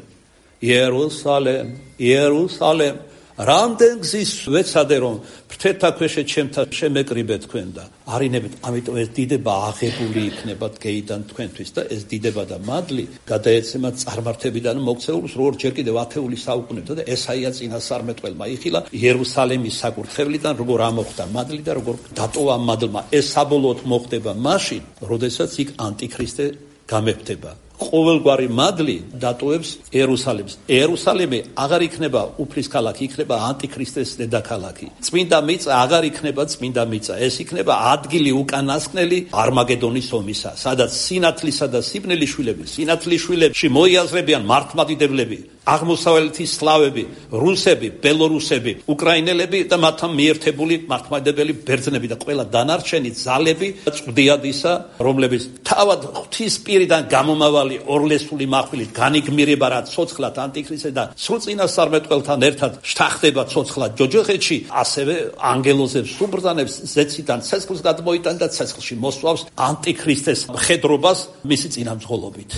იერუსალემ, იერუსალემ, რამდენ გზის ვეცადე, რომ ფრთერთა ქვეშე ჩემთა შემეკრიბე თქვენ და არინებით, ამიტომ ეს დიდება აღებული იქნება გეიდან თქვენთვის და ეს დიდება და მადლი გადაეცემა წარმართებიდან მოქცეულს, როგორც ჯერ კიდევ ათეული საუკუნეებდა და ესაია წინასწარმეტყველმა იხილა იერუსალემის საკურთხევლიდან, როგორ ამოხდა მადლი და როგორ დატოვა მადლმა. ეს საბოლოოდ მოხდება მაშინ, როდესაც იქ ანტიქრისტე გამეფდება. ყოველგვარი მადლი დატოვებს იერუსალემს. იერუსალემი აღარ იქნება უფლის ქალაქი, იქნება ანტიქრისტეს დედაქალაქი. წმინდა მიწა აღარ იქნება წმინდა მიწა. ეს იქნება ადგილი უკანასკნელი არმაგედონის ომისა, სადაც სინათლისა და სიბნელის შვილები, სინათლის შვილებში მოიაზრებიან მართლმადიდებლები, აღმოსავლეთის სლავები, რუსები, ბელორუსები, უკრაინელები და მათთან მიერთებული მართლმადიდებელი ბერძნები და ყველა დანარჩენი ძალები წვდიადისა, რომლებიც თავად ღვთის პირიდან გამომავალი ორლესული מחვილით განიგმირება რა ცოცხლად ანტიქრისტე და სრულ წინასწარმეტყველთან ერთად შთახდება ცოცხლად ჯოჯოხეთში, ასევე ანგელოზებს უბრძანებს ზეციდან ცეცხლს გადმოიტან და ცეცხლში მოსვავს ანტიქრისტეს მხედრობას მისი წინამძღოლობით.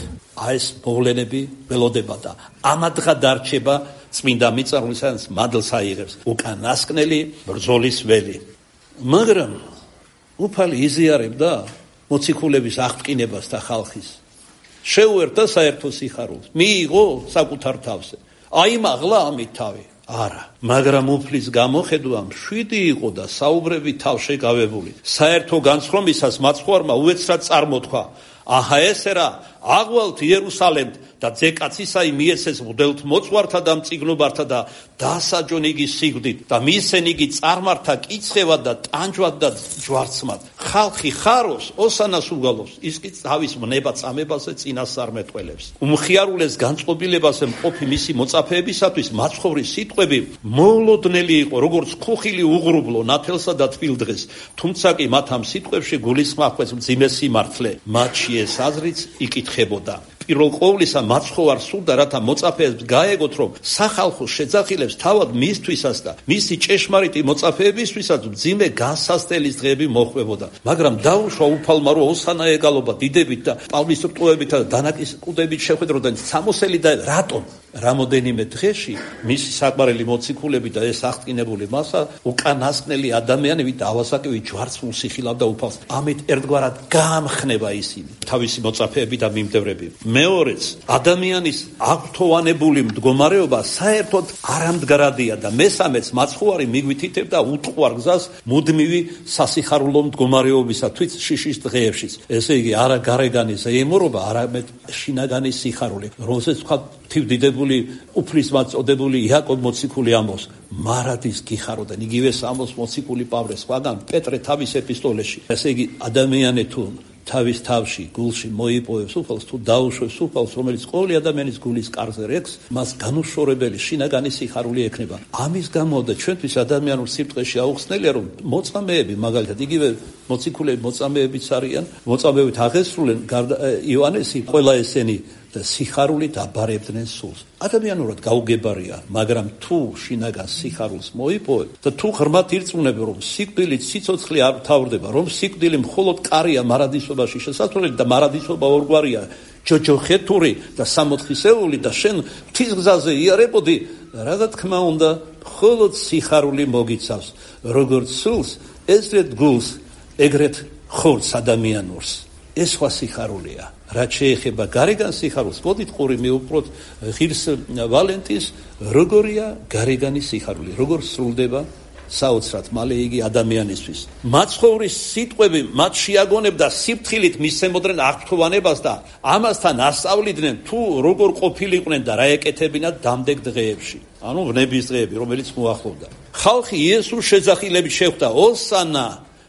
აი ეს მოვლენები ველოდება და ამადღა დარჩება წმინდა მიწა, რომელსაც მადლს აიღებს უკანასკნელი ბრძოლის ველი. მაგრამ უფალი იზიარებდა მოციქულების აღტკინებას და ხალხის. შეუერთა საერთო სიხარულს, მიიღო საკუთარ თავზე. აიმაღლა ამით თავი. არა, მაგრამ უფლის გამოხედვა მშვიდი იყო და საუბრები თავშეკავებული. საერთო განსხვავებისას მაცხოვარმა უეცრად წარმოთქვა: აჰა ესე რა, აღვალთ იერუსალემთ და ძეკაცისაი მიეცეს მღვდელთ მოწვართა და მწიგნობართა და დასაჯონ იგი სიკვდით და მისცენ იგი წარმართა კიცხევად და ტანჯვად და ჯვარცმად. ხალხი ხაროს ოსანას უგალობს, ის კი თავის მნება წამებაზე წინასწარმეტყველებს. უმხიარულეს განწყობილებაზე მყოფი მისი მოწაფეებისათვის მაცხოვრის სიტყვები მოულოდნელი იყო, როგორც ქუხილი უღრუბლო ნათელსა და თბილდღეს, თუმცა კი მათ ამ სიტყვებში გულისხმობს მძიმე სიმართლე, მათში ეს აზრიც იკითხებოდა. პირველ ყოვლისა მაცხოვარ სურდა, რათა მოწაფეებს გაეგოთ, რომ სახალხო შეძახილებს თავად მისთვისას და მისი ჭეშმარიტი მოწაფეებისთვისაც მძიმე განსასწრების დღეები მოხვებოდა. მაგრამ დაუშვა უფალმა, რომ ოსანა ეგალობა დიდებით და პავლეს რტუებით და დანაკისკუდებით შეხვედროდნენ სამოსელი და რატომ? რამოდენიმე დღეში მისი საყვარელი მოციქულები და ეს აღტკინებული მასა უკანასკნელი ადამიანები და ავაზაკები ჯვარცმულს იხილავდა უფალს. ამით ერთგვარად გაამხნება ისინი, თავისი მოწაფეები და მიმდევრები. მეორეც, ადამიანის აღთოვანებული მდგომარეობა საერთოდ არამდგრადია და მესამეც, მაცხოვარი მიგვითითებდა უტყუარ გზას მუდმივი სასიხარულო მდგომარეობისა თვით შიშის დღეებშიც. ესე იგი, არა გარეგანი ზეიმურობა, არამედ შინაგანი სიხარული, რომელსაც თქვა თივდიდებული უფლის მაწოდებული იაკობ მოციქული ამბობს, მარადის გიხაროდან, იგივე ამბობს მოციქული პავლე სხვაგან პეტრე თავის ეპისტოლეში. ესე იგი, ადამიანი თუ თავის თავში, გულში მოიპოვებს უფალს, თუ დაუშვებს უფალს, რომელიც ყოველი ადამიანის გულის კარზე რექს, მას განუშორებელი შინაგანი სიხარული ექნება. ამის გამო და ჩვენთვის ადამიანურ სიბრტყეში აუხსნელია, რომ მოწამეები, მაგალითად, იგივე მოციქულები მოწამეებიც არიან, მოწამეებით აღესრულენ იოანესი, ყველა ესენი და სიხარულით აბარებდნენ სულს. ადამიანურად გაუგებარია, მაგრამ თუ შინაგან სიხარულს მოიპოვებ და თუ ღრმად ირწმუნებ, რომ სიკვდილით სიცოცხლე არ თავდება, რომ სიკვდილი მხოლოდ კარია მარადისობაში შესასვლელი და მარადისობა ორგვარია, ჯოჯოხეთური და სამოთხისეული და შენ ღვთის გზაზე იარებოდი, რა თქმა უნდა, მხოლოდ სიხარული მოგიცავს, როგორც სულს, ესრეთ გულს, ეგრეთ ხორცს ადამიანურს. ეს სხვა სიხარულია. რაც შეეხება გარეგან სიხარულს, მოდით ყური მივუყროთ ღირს ვალენტინს, როგორია გარეგანი სიხარული, როგორ სრულდება საოცრად მალე იგი ადამიანისთვის. მაცხოვრის სიტყვები მათ შეაგონებდა სიფრთხილით მისცემოდნენ აღფრთოვანებას და ამასთან ასწავლიდნენ თუ როგორ ყოფილიყვნენ და რა ეკეთებინათ დამდეგ დღეებში. ანუ ვნების დღეები, რომელიც მოახლოვდა. ხალხი იესოს შეძახილებით შეხვდა ოსანა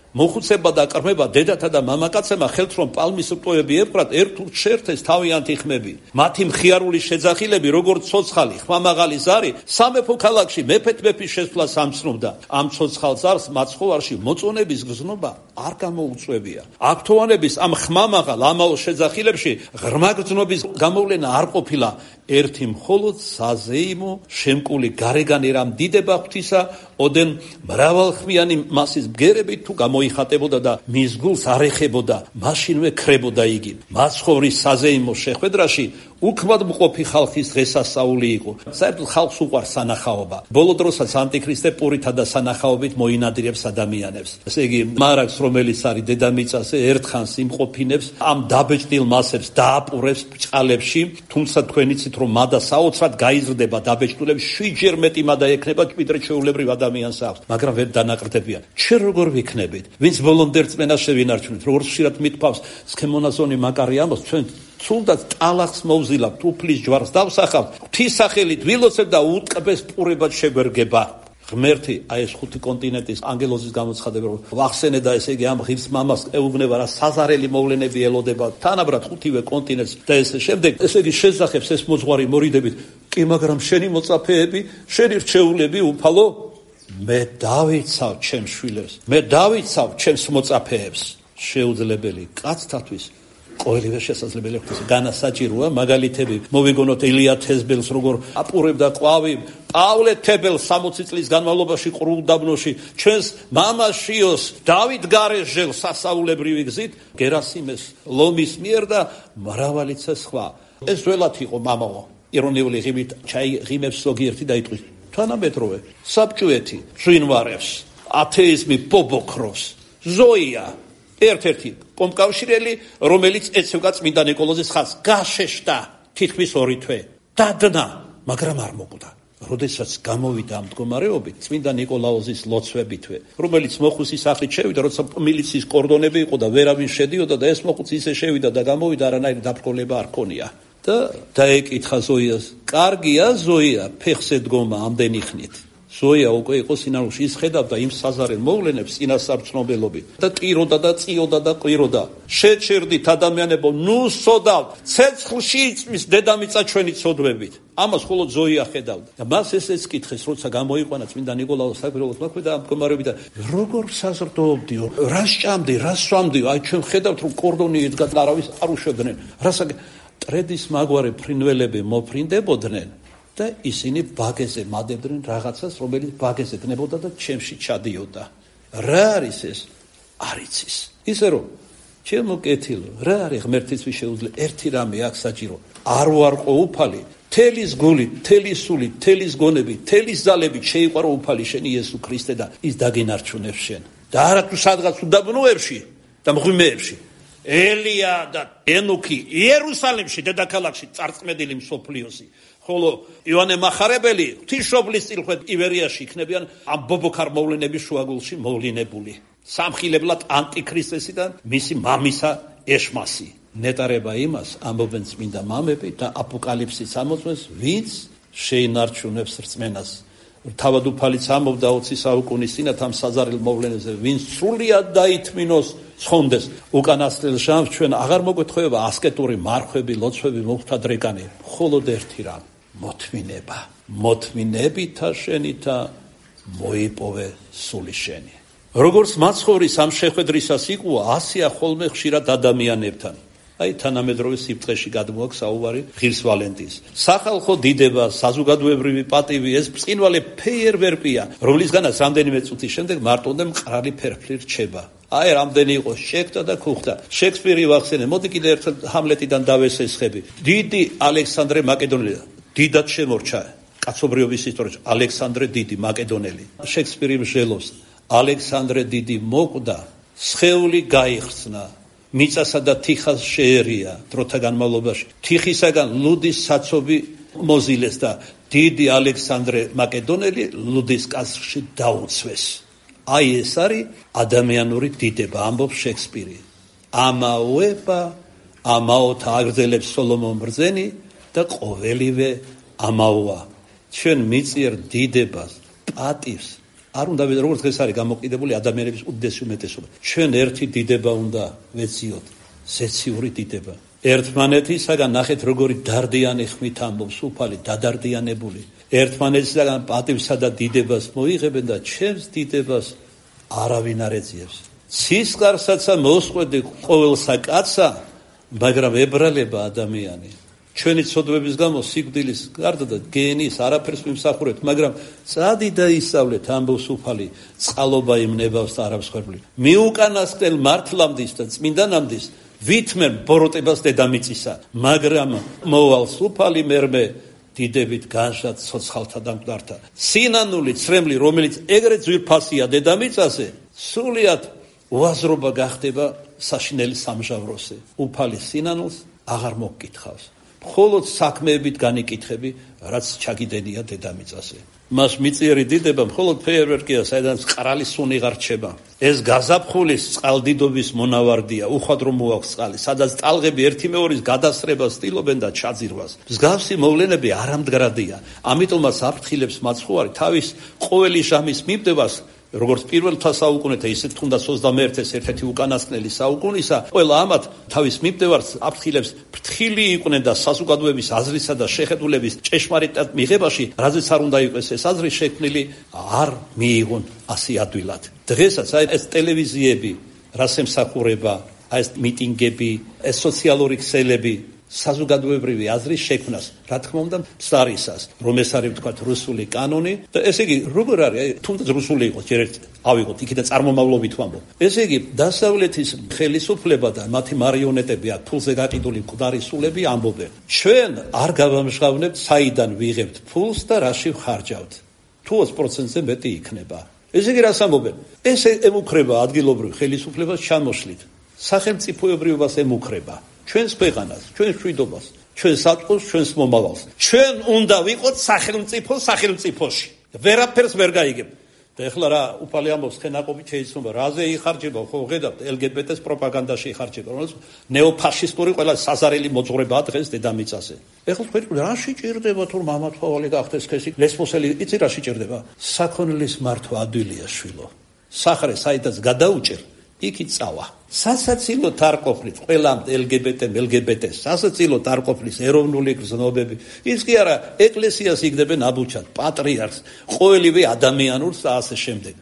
მოხუცება და კრმება დედათა და მამაკაცებმა ხელთ რომ პალმის რტოები ეპყრათ ერთ ურჩერთეს თავიანთი ხმები. მათი მხიარული შეძახილები როგორც ცოცხალი ხმამაღალი ზარი სამეფო ქალაქში მეფეთ მეფის შესვლას ამცნობდა. ამ ცოცხალ ზარს მაცხოვარში მოწონების გზნობა არ გამოუწვევია. აღფრთოვანების ამ ხმამაღალ ამაო შეძახილებში ღრმა გზნობის გამოვლენა არ ყოფილა. ერთი მხოლოდ საზეიმო შემკული გარეგანი რამ დიდება ღვთისა ოდენ მრავალხმიანი მასის ბგერებით თუ გამოიხატებოდა და მის გულს არ ეხებოდა, მაშინვე ქრებოდა იგი. მაცხოვრის საზეიმო შეხვედრაში უქმად მყოფი ხალხის დღესასწაული იყო. საერთოდ ხალხს უყვარს სანახაობა. ბოლო დროსაც ანტიქრისტე პურითა და სანახაობით მოინადირებს ადამიანებს. ესე იგი, მარაგს რომელიც არის დედამიწაზე ერთხანს იმყოფინებს, ამ დაბეჭდილ მასებს დააპურებს ბჭყალებში, თუმცა თქვენ იცით რომ მადა საოცრად გაიზრდება დაბეჭდილებს, შვიდჯერ მეტი მადა ექნება ვიდრე ჩვეულებრივ ადამიანს აქვს, მაგრამ ვერ დანაყრდებიან. ჩვენ როგორ ვიქნებით? ვინც ბოლომდე რწმენას შევინარჩუნეთ, როგორც ხშირად მithავს, სქემონაზონი მაკარი ამბობს, ჩვენ თუნდაც ტალახს მოვზილავთ, უფლის ჯვარს დავსახავთ, ღვთის სახელით ვილოცებთ და უტკბეს პურებად შეგვერგება. ღმერთი აი ეს ხუთი კონტინენტის ანგელოზის გამოცხადება ვახსენე და ესე იგი ამ ღირს მამას ეუბნება რა საზარელი მოვლენები ელოდება თანაბრად ხუთივე კონტინენტს და ესე შემდეგ ესე იგი შეძახებს ეს მოძღვარი მორიდებით კი მაგრამ შენი მოწაფეები შენი რჩეულები უფალო მე დავიცავ ჩემს შვილებს მე დავიცავ ჩემს მოწაფეებს შეუძლებელი კაცთათვის ყოველივე შესაძლებელი ხდება განასაჭიროა მაგალითები მოვიგონოთ ელია თესბელს როგორ აპურებდა ყვავი პავლე თებელს სამოცი წლის განმავლობაში ყრუდაბნოში ჩვენს მამაშიოს დავით გარეჟელს სასაულებრივი გზით გერასიმეს ლომის მიერ და მრავალიცე სხვა ეს ველათ იყო მამაო ირონიული ღიმით ჩაი ღიმებს ზოგიერთი დაიტყვის თანამედროვე საბჭოეთი ჟინვარებს ათეიზმი ბობოქროს ზოია ერთ-ერთი კომკავშირელი, რომელიც ეცევდა წმინდა ნიკოლოზის ხაზს, გაშეშდა თითქმის ორი თვე. დადნა, მაგრამ არ მოკვდა. როდესაც გამოვიდა ამ მდგომარეობით, წმინდა ნიკოლაოზის ლოცვებითვე, რომელიც მოხუცის სახლით შევიდა, როცა მილიციის კორდონები იყო და ვერავინ შედიოდა და ეს მოხუცი ისე შევიდა და გამოვიდა, არანაირი დაბრკოლება არ ქონია. და დაეკითხა ზოიას, კარგია ზოია, ფეხზე დგომა ამდენი ხნით. ზოია უკვე იყო სინარულში, ის ხედავდა იმ საზარელ მოვლენებს წინასწარმცნობელობით და ტიროდა და წიოდა და ყვიროდა. შეჩერდით ადამიანებო, ნუ სოდავთ, ცეცხლში იწვის დედამიწა ჩვენი ცოდვებით. ამას მხოლოდ ზოია ხედავდა. და მას ესეც კითხეს, როცა გამოიყვანა წმინდა ნიკოლაოს საკვირველოს მოქმედა ამ მდგომარეობით და როგორ საზრდოობდიო, რა სჭამდი, რა სვამდიო, აი ჩვენ ხედავთ რომ კორდონი ედგა და არავის არ უშვებდნენ. რასაკ ტრედის მაგვარი ფრინველები მოფრინდებოდნენ. და ისინი ბაგეზე მადებდნენ რაღაცას, რომელიც ბაგეზე დნებოდა და ჩემში ჩადიოდა. რა არის ეს? არ იცის. ისე რომ ჩემო კეთილო, რა არის ღმერთისთვის შეუძლებელი? ერთი რამე აქ საჭირო. არ ვარყო უფალი, თელის გული, თელის სული, თელის გონები, თელის ძალებით შეიყვარო უფალი შენი იესო ქრისტე და ის დაგინარჩუნებს შენ. და არა თუ სადღაც უდაბნოებში და მღვიმეებში. ელია და ენოქი იერუსალიმში დედაქალაქში წარწმედილი მსოფლიოსი ხოლო იოანე მახარებელი ღვთისმშობლის წილხვედ ივერიაში იქნებიან ამ ბობოქარ მოვლენების შუაგულში მოვლინებული სამხილებლად ანტიქრისტესი და მისი მამისა ეშმასი ნეტარება იმას ამბობენ წმინდა მამები და აპოკალიფსის ამოწმეს ვინც შეინარჩუნებს რწმენას თავად უფალიც ამბობდა ოცი საუკუნის წინათ ამ საზარელ მოვლენებზე ვინც სრულიად დაითმინოს ცხონდეს უკანასკნელ ჟამს ჩვენ აღარ მოგვეთხოვება ასკეტური მარხვები ლოცვები მოხთადრეკანი მხოლოდ ერთი რამ მოთმინება მოთმინებითა შენითა მოიპოვე სული შენი როგორც მაცხოვრის ამ შეხვედრისას იკუა ასია ხოლმე ხშირად ადამიანებთან აი თანამედროვე სიფრთხეში გადმოაქვს საუბარი ღირს ვალენტინს. სახალხო დიდება, საზოგადოებრივი პატივი ეს ბრწყინვალე ფეიერვერკია, რომლისგანაც რამდენიმე წუთის შემდეგ მარტონდე მყრალი ფერფლი რჩება. აი რამდენი იყო შექთა და ქუხთა. შექსპირი ვახსენე, მოდი კიდე ერთხელ ჰამლეტიდან დავესესხები. დიდი ალექსანდრე მაკედონელი, დიდად შემორჩა კაცობრიობის ისტორიაში ალექსანდრე დიდი მაკედონელი. შექსპირი მსჯელობს, ალექსანდრე დიდი მოკვდა, სხეული გაიხსნა. მიწასა და თიხას შეერია დროთა განმავლობაში. თიხისაგან ლუდის საცობი მოზილეს და დიდი ალექსანდრე მაკედონელი ლუდის კასრში დაუცვეს. აი ეს არის ადამიანური დიდება, ამბობს შექსპირი. ამაოება, ამაოთა აგრძელებს სოლომონ ბრძენი და ყოველივე ამაოა. ჩვენ მიწიერ დიდებას, პატივს არ უნდა ვიდრე როგორც დღეს არის გამოყიდებული ადამიანების უდიდესი უმეტესობა. ჩვენ ერთი დიდება უნდა ვეციოთ, ზეციური დიდება. ერთმანეთისაგან ნახეთ როგორი დარდიანი ხმით ამბობს უფალი, დადარდიანებული. ერთმანეთისაგან პატივსა და დიდებას მოიღებენ და ჩემს დიდებას არავინ არ ეძიებს. ცისკარსაცა მოსყვედი ყოველსა კაცსა, მაგრამ ებრალება ადამიანი. ჩვენი ცოდვების გამო სიკვდილის გარდა და გენის არაფერს ვიმსახურებთ, მაგრამ წადი და ისწავლეთ, ამბობს უფალი, წყალობა იმ ნებავს და არავს ხერხული. მიუკანასკნელ მართლამდის და წმინდანამდის ვითმენ ბოროტებას დედამიწისა, მაგრამ მოვალს უფალი მერმე დიდებით განშად ცოცხალთა და მკვდართა. სინანული ცრემლი, რომელიც ეგრეთ ძვირფასია დედამიწაზე, სულიად უაზრობა გახდება საშინელი სამჟავროზე. უფალი სინანულს აღარ მოგკითხავს. მხოლოდ საქმეებით განიკითხები, რაც ჩაგიდენია დედამიწაზე. მას მიწიერი დიდება მხოლოდ ფეიერვერკია, საიდანაც ყრალი სუნი ღარჩება. ეს გაზაფხულის წყალდიდობის მონავარდია, უხვად რომ მოაქვს წყალი, სადაც ტალღები ერთი მეორის გადასრებას ცდილობენ და ჩაძირვას. მსგავსი მოვლენები არამდგრადია. ამიტომაც აფრთხილებს მაცხოვარი თავის ყოველი ჟამის მიბდევას, როგორც პირველთა საუკუნეთა, ისე თუნდაც ოცდამეერთეს ერთ-ერთი უკანასკნელი საუკუნისა, ყველა ამათ თავის მიბდევარს აფრთხილებს ფრთხილი იყვნენ და საზოგადოების აზრისა და შეხედულების ჭეშმარიტად მიღებაში, რაზეც არ უნდა იყოს ეს აზრი შექმნილი, არ მიიღონ ასე ადვილად. დღესაც აი ეს ტელევიზიები, რას ემსახურება, აი ეს მიტინგები, ეს სოციალური ქსელები საზოგადოებრივი აზრის შექმნას, რა თქმა უნდა, მცდარისას, რომ ეს არის ვთქვათ რუსული კანონი და ესე იგი როგორ არის, თუნდაც რუსული იყოს, ჯერ ერთ ავიღოთ, იქიდან წარმომავლობით ვამბობ. ესე იგი, დასავლეთის ხელისუფლება და მათი მარიონეტები, ფულზე გაყიდული მკვდარი სულები ამბობენ, ჩვენ არ გავამჟღავნებთ, საიდან ვიღებთ ფულს და რაში ვხარჯავთ. თუ ოცი პროცენტზე მეტი იქნება. ესე იგი, რას ამბობენ? ეს ემუქრება ადგილობრივ ხელისუფლებას ჩამოშლით. სახელმწიფოებრიობას ემუქრება. ჩვენს ქვეყანას, ჩვენს მშვიდობას, ჩვენს საწყოს, ჩვენს მომავალს. ჩვენ უნდა ვიყოთ სახელმწიფო სახელმწიფოში. ვერაფერს ვერ გაიგებ. და ეხლა რა უფალი ამბობს, ხენაყოფით შეიცნობა, რაზე იხარჯება, ხო ხედავთ, ელ გი ბი ტეს პროპაგანდაში იხარჯება, რომელიც ნეოფაშისტური ყველა საზარელი მოძღვრებაა დღეს დედამიწაზე. ეხლა თქვენ რა შეჭირდება თუ მამათვალი გახდეს ხესი, ლესბოსელი იცი რა შეჭირდება? საქონლის მართვა ადვილია შვილო. სახრე საიდაც გადაუჭერ, იქით წავა. სასაცილოდ არ ყოფნით ყველამ ელ გი ბი ტე, ელ გი ბი ტეს, სასაცილოდ არ ყოფნის ეროვნული გზნობები. ის კი არა, ეკლესიას იგდებენ აბუჩად, პატრიარქს, ყოველივე ადამიანურს და ასე შემდეგ.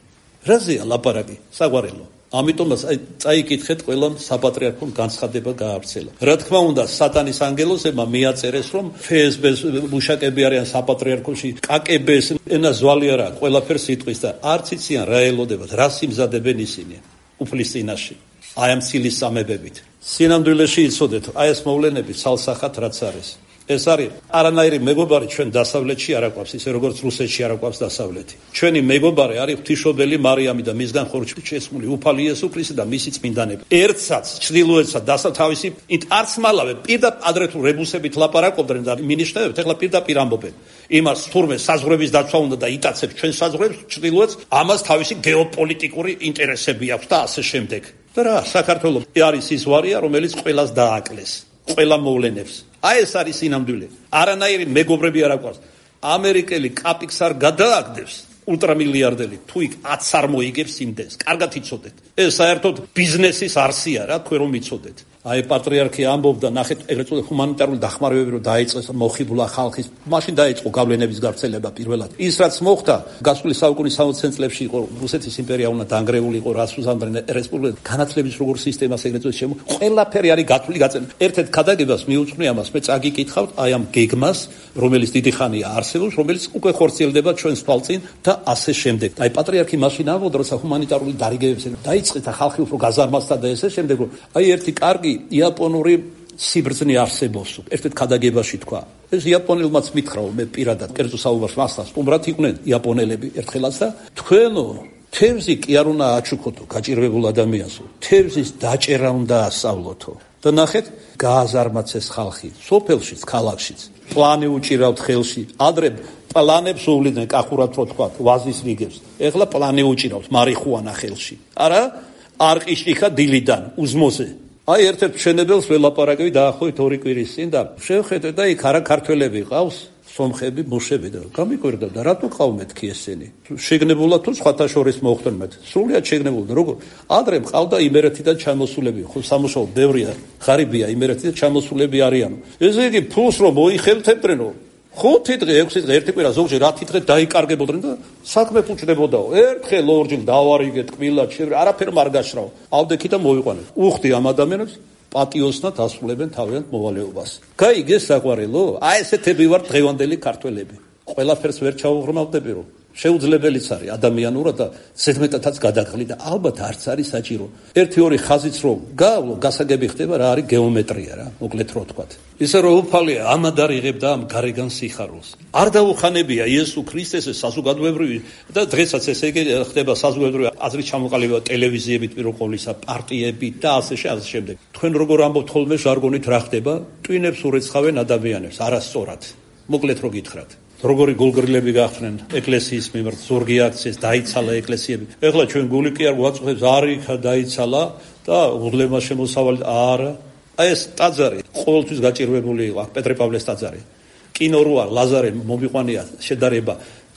რაზეა ლაპარაკი? საგვარელო. ამიტომაც წაიკითხეთ ყველამ საპატრიარქო განცხადება გაავრცელა. რა თქმა უნდა, სატანის ანგელოზებმა მიაწერეს, რომ ეფ ეს ბე-ს მუშაკები არიან საპატრიარქოში, კა კე ბე-ს ენა ზვალი არა, ყველაფერს იტყვის და არც იციან რა ელოდებათ, რა სიმზადებენ ისინი უფლის წინაშე. აი ამ ცილის სამებებით. სინამდვილეში იცოდეთ, აი ეს მოვლენები ცალსახად რაც არის. ეს არის არანაირი მეგობარი ჩვენ დასავლეთში არ აკვავს, ისე როგორც რუსეთში არ აკვავს დასავლეთი. ჩვენი მეგობარი არის ღვთისმშობელი მარიამი და მისგან ხორჩი შესმული უფალი იესო ქრისტე და მისი წმინდანები. ერთსაც ჩრდილოეთსა დასავლეთ თავისი არც მალავე პირდაპირ ადრე თუ რებუსებით ლაპარაკობდნენ და მინიშნებებთ, ეხლა პირდაპირ ამბობენ. იმას თურმე საზღვრების დაცვა უნდა და იტაცებს ჩვენ საზღვრებს ჩრდილოეთს, ამას თავისი გეოპოლიტიკური ინტერესები აქვს და ასე შემდეგ. და რა, საქართველოს არის ის ვარია, რომელიც ყველას დააკლეს, ყველა მოვლენებს. აი ეს არის სინამდვილე. არანაირი მეგობრები არ აკვავს. ამერიკელი კაპიკს არ გადააგდებს ულტრამილიარდელი, თუ იქ ათს არ მოიგებს იმდენს. კარგად იცოდეთ. ეს საერთოდ ბიზნესის არსია რა, თქვენ რომ იცოდეთ. აი პატრიარქი ამბობდა, ნახეთ, ეგრეთ წოდებული ჰუმანიტარული დახმარებები რომ დაიწყეს მოხიბლა ხალხის, მაშინ დაიწყო გავლენების გავრცელება პირველად. ის რაც მოხდა, გასული საუკუნის სამოცდე წლებში იყო რუსეთის იმპერია უნდა დანგრეული იყო, რას უზამდნენ რესპუბლიკა, განათლების როგორ სისტემას ეგრეთ წოდებული შემო, ყველაფერი არის გათვლილი გაწეული. ერთ-ერთ ქადაგებას მიუძღვნე ამას, მე წაგიკითხავთ აი ამ გეგმას, რომელიც დიდი ხანია არსებობს, რომელიც უკვე ხორციელდება ჩვენს თვალწინ და ასე შემდეგ. აი პატრიარქი მაშინ ამბობდა, როცა ჰუმანიტარული დარიგებებს დაიწყეთ ხალხი უფრო გაზარმასდა და ესე შემდეგ, რომ აი ერთი კარგი იაპონური სიბრძნე არსებობს. ერთ-ერთ ქადაგებაში თქვა. ეს იაპონელმაც მითხრა, მე პირადად კერძო საუბარს მასთან სტუმრად იყვნენ იაპონელები ერთხელაც და თქვენო თევზი კი არ უნდა აჩუქოთო გაჭირვებულ ადამიანსო. თევზის დაჭერა უნდა ასწავლოთო. და ნახეთ, გააზარმაცეს ხალხი, სოფელშიც, ქალაქშიც. პლანი უჭირავთ ხელში. ადრე პლანებს უვლიდნენ კახურად რო თქვა, ვაზის რიგებს. ეხლა პლანი უჭირავთ მარიხუანა ხელში. არა, არყიშტიხა დილიდან უზმოზე. აი ერთ-ერთ მშენებელს ველაპარაკები დაახლოებით ორი კვირის წინ და შევხედე და იქ არა ქართველები ყავს, სომხები, მუშები და გამიკვირდა და რატო ყავმეთქი ესენი? შეგნებულად თუ სხვათა შორის მოხდნენ მე. სრულიად შეგნებულად როგორ? ადრე ყავდა იმერეთიდან ჩამოსულები, ხო სამუშაო ბევრია, ღარიბია იმერეთიდან ჩამოსულები არიან. ესე იგი ფულს რომ მოიხელთებდნენო ხუთი დღე, ექვსი დღე, ერთი კვირა ზოგჯერ ათი დღე დაიკარგებოდნენ და საქმე ფუჭდებოდაო. ერთხელ ორჯერ დავარიგე ტკბილად, არაფერ არ გაშრავ. ავდექი და მოვიყვანე. უხდი ამ ადამიანებს პატიოსნად ასრულებენ თავიანთ მოვალეობას. გაიგეს საყვარელო? აი ესეთები ვარ დღევანდელი ქართველები. ყველაფერს ვერ ჩაუღრმავდები რომ შეუძლებელიც არის ადამიანურად და ზედმეტადაც გადაღლი და ალბათ არც არის საჭირო. ერთი ორი ხაზიც რომ გავლო, გასაგები ხდება რა არის გეომეტრია რა, მოკლედ რო ვთქვათ. ისე რომ უფალია ამად არ იღებდა ამ გარეგან სიხარულს. არ დაუხანებია იესო ქრისტესე საზოგადოებრივი და დღესაც ესე იგი ხდება საზოგადოებრივი აზრის ჩამოყალიბება ტელევიზიებით პირველ ყოვლისა, პარტიებით და ასე შემდეგ. თქვენ როგორ ამბობთ ხოლმე ჟარგონით რა ხდება? ტვინებს ურეცხავენ ადამიანებს არასწორად. მოკლედ რო გითხრათ. როგორი გულგრილები გახდნენ ეკლესიის მიმართ, ზურგი აქციეს, დაიცალა ეკლესიები. ეხლა ჩვენ გული კი არ გვაწუხებს, არიქა დაიცალა და უღლემა შემოსავალი არა. აი ეს ტაძარი ყოველთვის გაჭირვებული იყო, პეტრე-პავლეს ტაძარი. კინო როა ლაზარე მომიყვანია შედარება.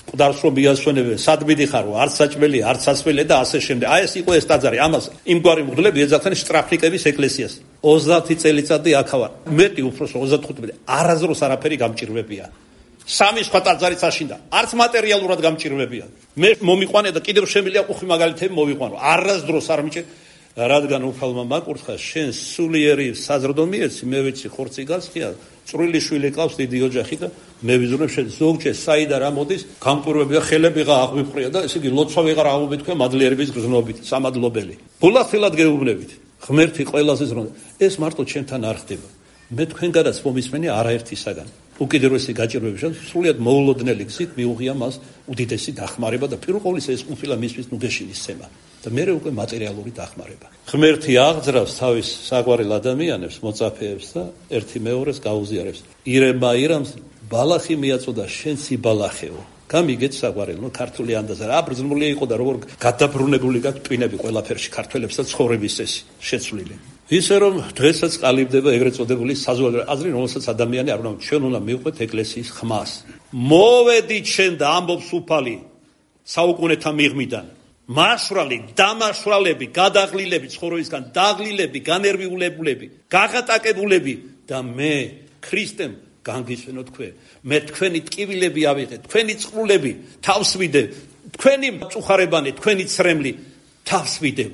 ყდარს რომ მიასვენებენ, სად მიდიხარო, არც საჭმელი, არც სასმელი და ასე შემდეგ. აი ეს იყო ეს ტაძარი. ამას იმგვარი მღვდლები ეძახდნენ შტრაფნიკების ეკლესიას. ოცდაათი წელიწადი აქ ვარ. მეტი უფროსო ოცდახუთი არაზროს არაფერი გამჭირვებია. სამი სხვა ტაძარიც აშინდა. არც მატერიალურად გამჭირვებია. მე მომიყვანე და კიდევ შემიძლია უხი მაგალითები მოვიყვანო. არასდროს არ მიჭირ, რადგან უფალმა მაკურთხა, შენ სულიერი საზრდო მიეცი, მე ვიცი ხორცი გასხია, წვრილი შვილი ყავს დიდი ოჯახი და მე ვიზრუნებ შენ ზოგჯერ საიდა რა მოდის, გამკურვებია, ხელებიღა აღვიფრია და ესე იგი ლოცვა ვეღარ აღმობით თქვენ მადლიერების გზნობით, სამადლობელი. ბულახილად გეუბნებით. ღმერთი ყველაზე ზრუნავდა. ეს მარტო ჩემთან არ ხდება. მე თქვენგანაც მომისმენი არაერთისაგან. უკიდურესი გაჭირვების სრულიად მოულოდნელი გზით მიუღია მას უდიდესი დახმარება და პირველ ყოვლისა ეს ყოფილა მისთვის ნუგეშინის სცემა და მეორე უკვე მატერიალური დახმარება. ღმერთი აღძრავს თავის საყვარელ ადამიანებს, მოწაფეებს და ერთი მეორეს გაუზიარებს. ირემა ირამს ბალახი მიაწოდა შენ სიბალახეო. გამიგეთ საყვარელო, ქართული ანდაზა რა ბრძნული იყო და როგორ გადაბრუნებული გაქვს ტვინები ყველაფერში ქართველებს და ცხოვრების წესი შეცვლილი. ისე რომ დღესაც ყალიბდება ეგრეთ წოდებული საზოგადოებრივი აზრი, რომელსაც ადამიანი არ უნდა ჩვენ უნდა მივყვეთ ეკლესიის ხმას. მოვედით შენ და ამბობს უფალი საუკუნეთა მიღმიდან. მასვრალი, დამასვრალები, გადაღლილები, ცხოვრებისგან დაღლილები, განერვიულებულები, გაღატაკებულები და მე ქრისტემ განგისვენო თქვენ. მე თქვენი ტკივილები ავიღე, თქვენი წყლულები თავს ვიდე, თქვენი მწუხარებანი, თქვენი ცრემლი თავს ვიდე.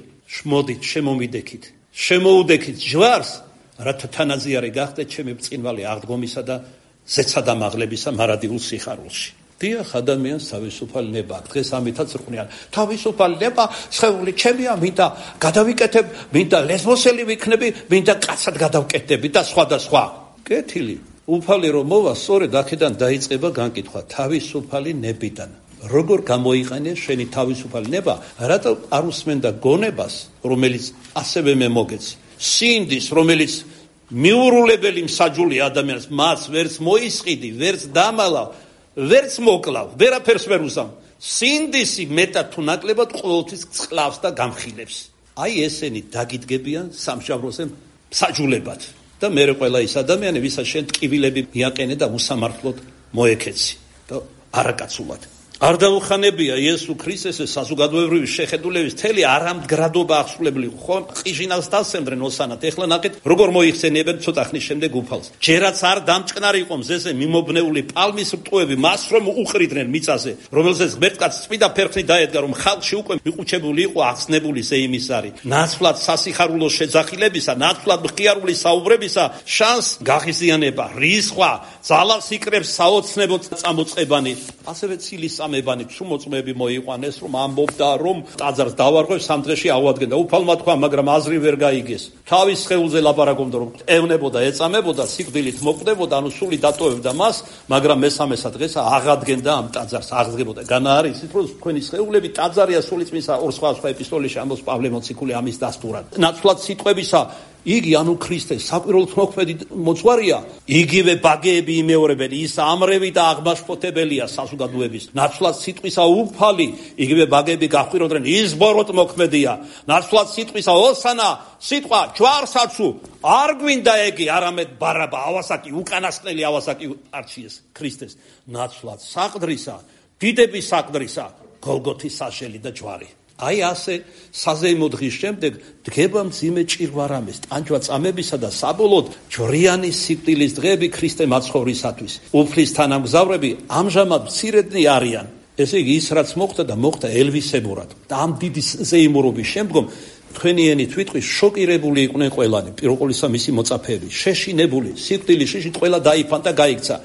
მოდით შემომიდექით. შემოუდექით ჯვარს, რათა თანაზიარი გახდეთ ჩემი ბრწყინვალე აღდგომისა და ზეცადამაღლებისა მარადიულ სიხარულში. დიახ, ადამიანს თავისუფალი ნება აქვს. დღეს ამითაც რყვნიან. თავისუფალი ნება, სხეული ჩემია, მინდა გადავიკეთებ, მინდა ლესბოსელი ვიქნები, მინდა კაცად გადავკეთდები და სხვა და სხვა. კეთილი. უფალი რომ მოვა, სწორედ აქედან დაიწყება განკითხვა თავისუფალი ნებიდან. როგორ გამოიყენე შენი თავისუფალი ნება, რატო არ უსმენდა გონებას, რომელიც ასევე მე მოგეცი. სინდის, რომელიც მიურულებელი მსაჯული ადამიანს, მას ვერც მოისყიდი, ვერც დამალავ, ვერც მოკლავ, ვერაფერს ვერ უზამ. სინდისი მეტად თუ ნაკლებად ყოველთვის წყლავს და გამხილებს. აი ესენი დაგიდგებიან სამშაბლოზე მსაჯულებად. და მე ყველა ის ადამიანი, ვისაც შენ ტკივილები მიაყენე და უსამართლოდ მოეკეცი და არაკაცულად. არ დაუხანებია იესო ქრისტესე საზოგადოებრივი შეხედულების თელი არამდგრადობა აღსრულებელი ხო ყიჟინავს დასემდნენ ოსანათ. ეხლა ნახეთ როგორ მოიხსენიებენ ცოტა ხნის შემდეგ უფალს. ჯერაც არ დამჭყნარი იყო მზეზე მიმობნეული პალმის რტყუები, მას რომ უყრიდნენ მიწაზე, რომელზეც ღმერთკაცს წმინდა ფერხნი დაედგა, რომ ხალხში უკვე მიყუჩებული იყო ახსნებული ზეიმისარი. ნაცვლად სასიხარულო შეძახილებისა, ნაცვლად მხიარული საუბრებისა შანს გაღიზიანება, რისხვა, ძალას იკრებს საოცნებოდ წამოწყებანი, ასევე ცილის ამებანი ჩუმოწმები მოიყვანეს, რომ ამბობდა, რომ ტაძარს დავარღვევ სამ დღეში ავადგენდა. უფალმა თქვა, მაგრამ აზრი ვერ გაიგეს. თავის სხეულზე ლაპარაკობდა, რომ ევნებოდა, ეწამებოდა, სიკვდილით მოკვდებოდა, ანუ სული დატოვებდა მას, მაგრამ მესამესა დღეს აღადგენდა ამ ტაძარს, აღდგებოდა. განა არის ისიც, რომ თქვენი სხეულები ტაძარია სულიწმისა ორ სხვა სხვა ეპისტოლეში ამბობს პავლე მოციქული ამის დასტურად. ნაცვლად სიტყვებისა იგი ანუ ქრისტეს საკვირველთ მოქმედი მოძღვარია, იგივე ბაგეები იმეორებენ, ის ამრევი და აღმაშფოთებელია საზოგადოების, ნაცვლად სიტყვისა უფალი, იგივე ბაგეები გახვიროდნენ, ის ბოროტ მოქმედია, ნაცვლად სიტყვისა ოსანა, სიტყვა ჯვარსაცუ, არ გვინდა ეგი, არამედ ბარაბა, ავასაკი, უკანასკნელი ავასაკი არჩიეს ქრისტეს, ნაცვლად საყდრისა, დიდების საყდრისა, გოლგოთის საშელი და ჯვარი. აი ასე საზეიმო დღის შემდეგ დგება მძიმე ჭირვარამის, ტანჯვა წამებისა და საბოლოოდ ჯვრიანი სიკვდილის დღეები ქრისტე მაცხოვრისათვის. უფლის თანამგზავრები ამჟამად მცირედნი არიან. ესე იგი ის რაც მოხდა და მოხდა ელვისებურად. და ამ დიდი ზეიმურობის შემდგომ თქვენი ენით ვიტყვი, შოკირებული იყვნენ ყველანი, პირველ ყოვლისა მისი მოწაფეები, შეშინებული, სიკვდილის შიშით ყველა დაიფანტა და გაიქცა.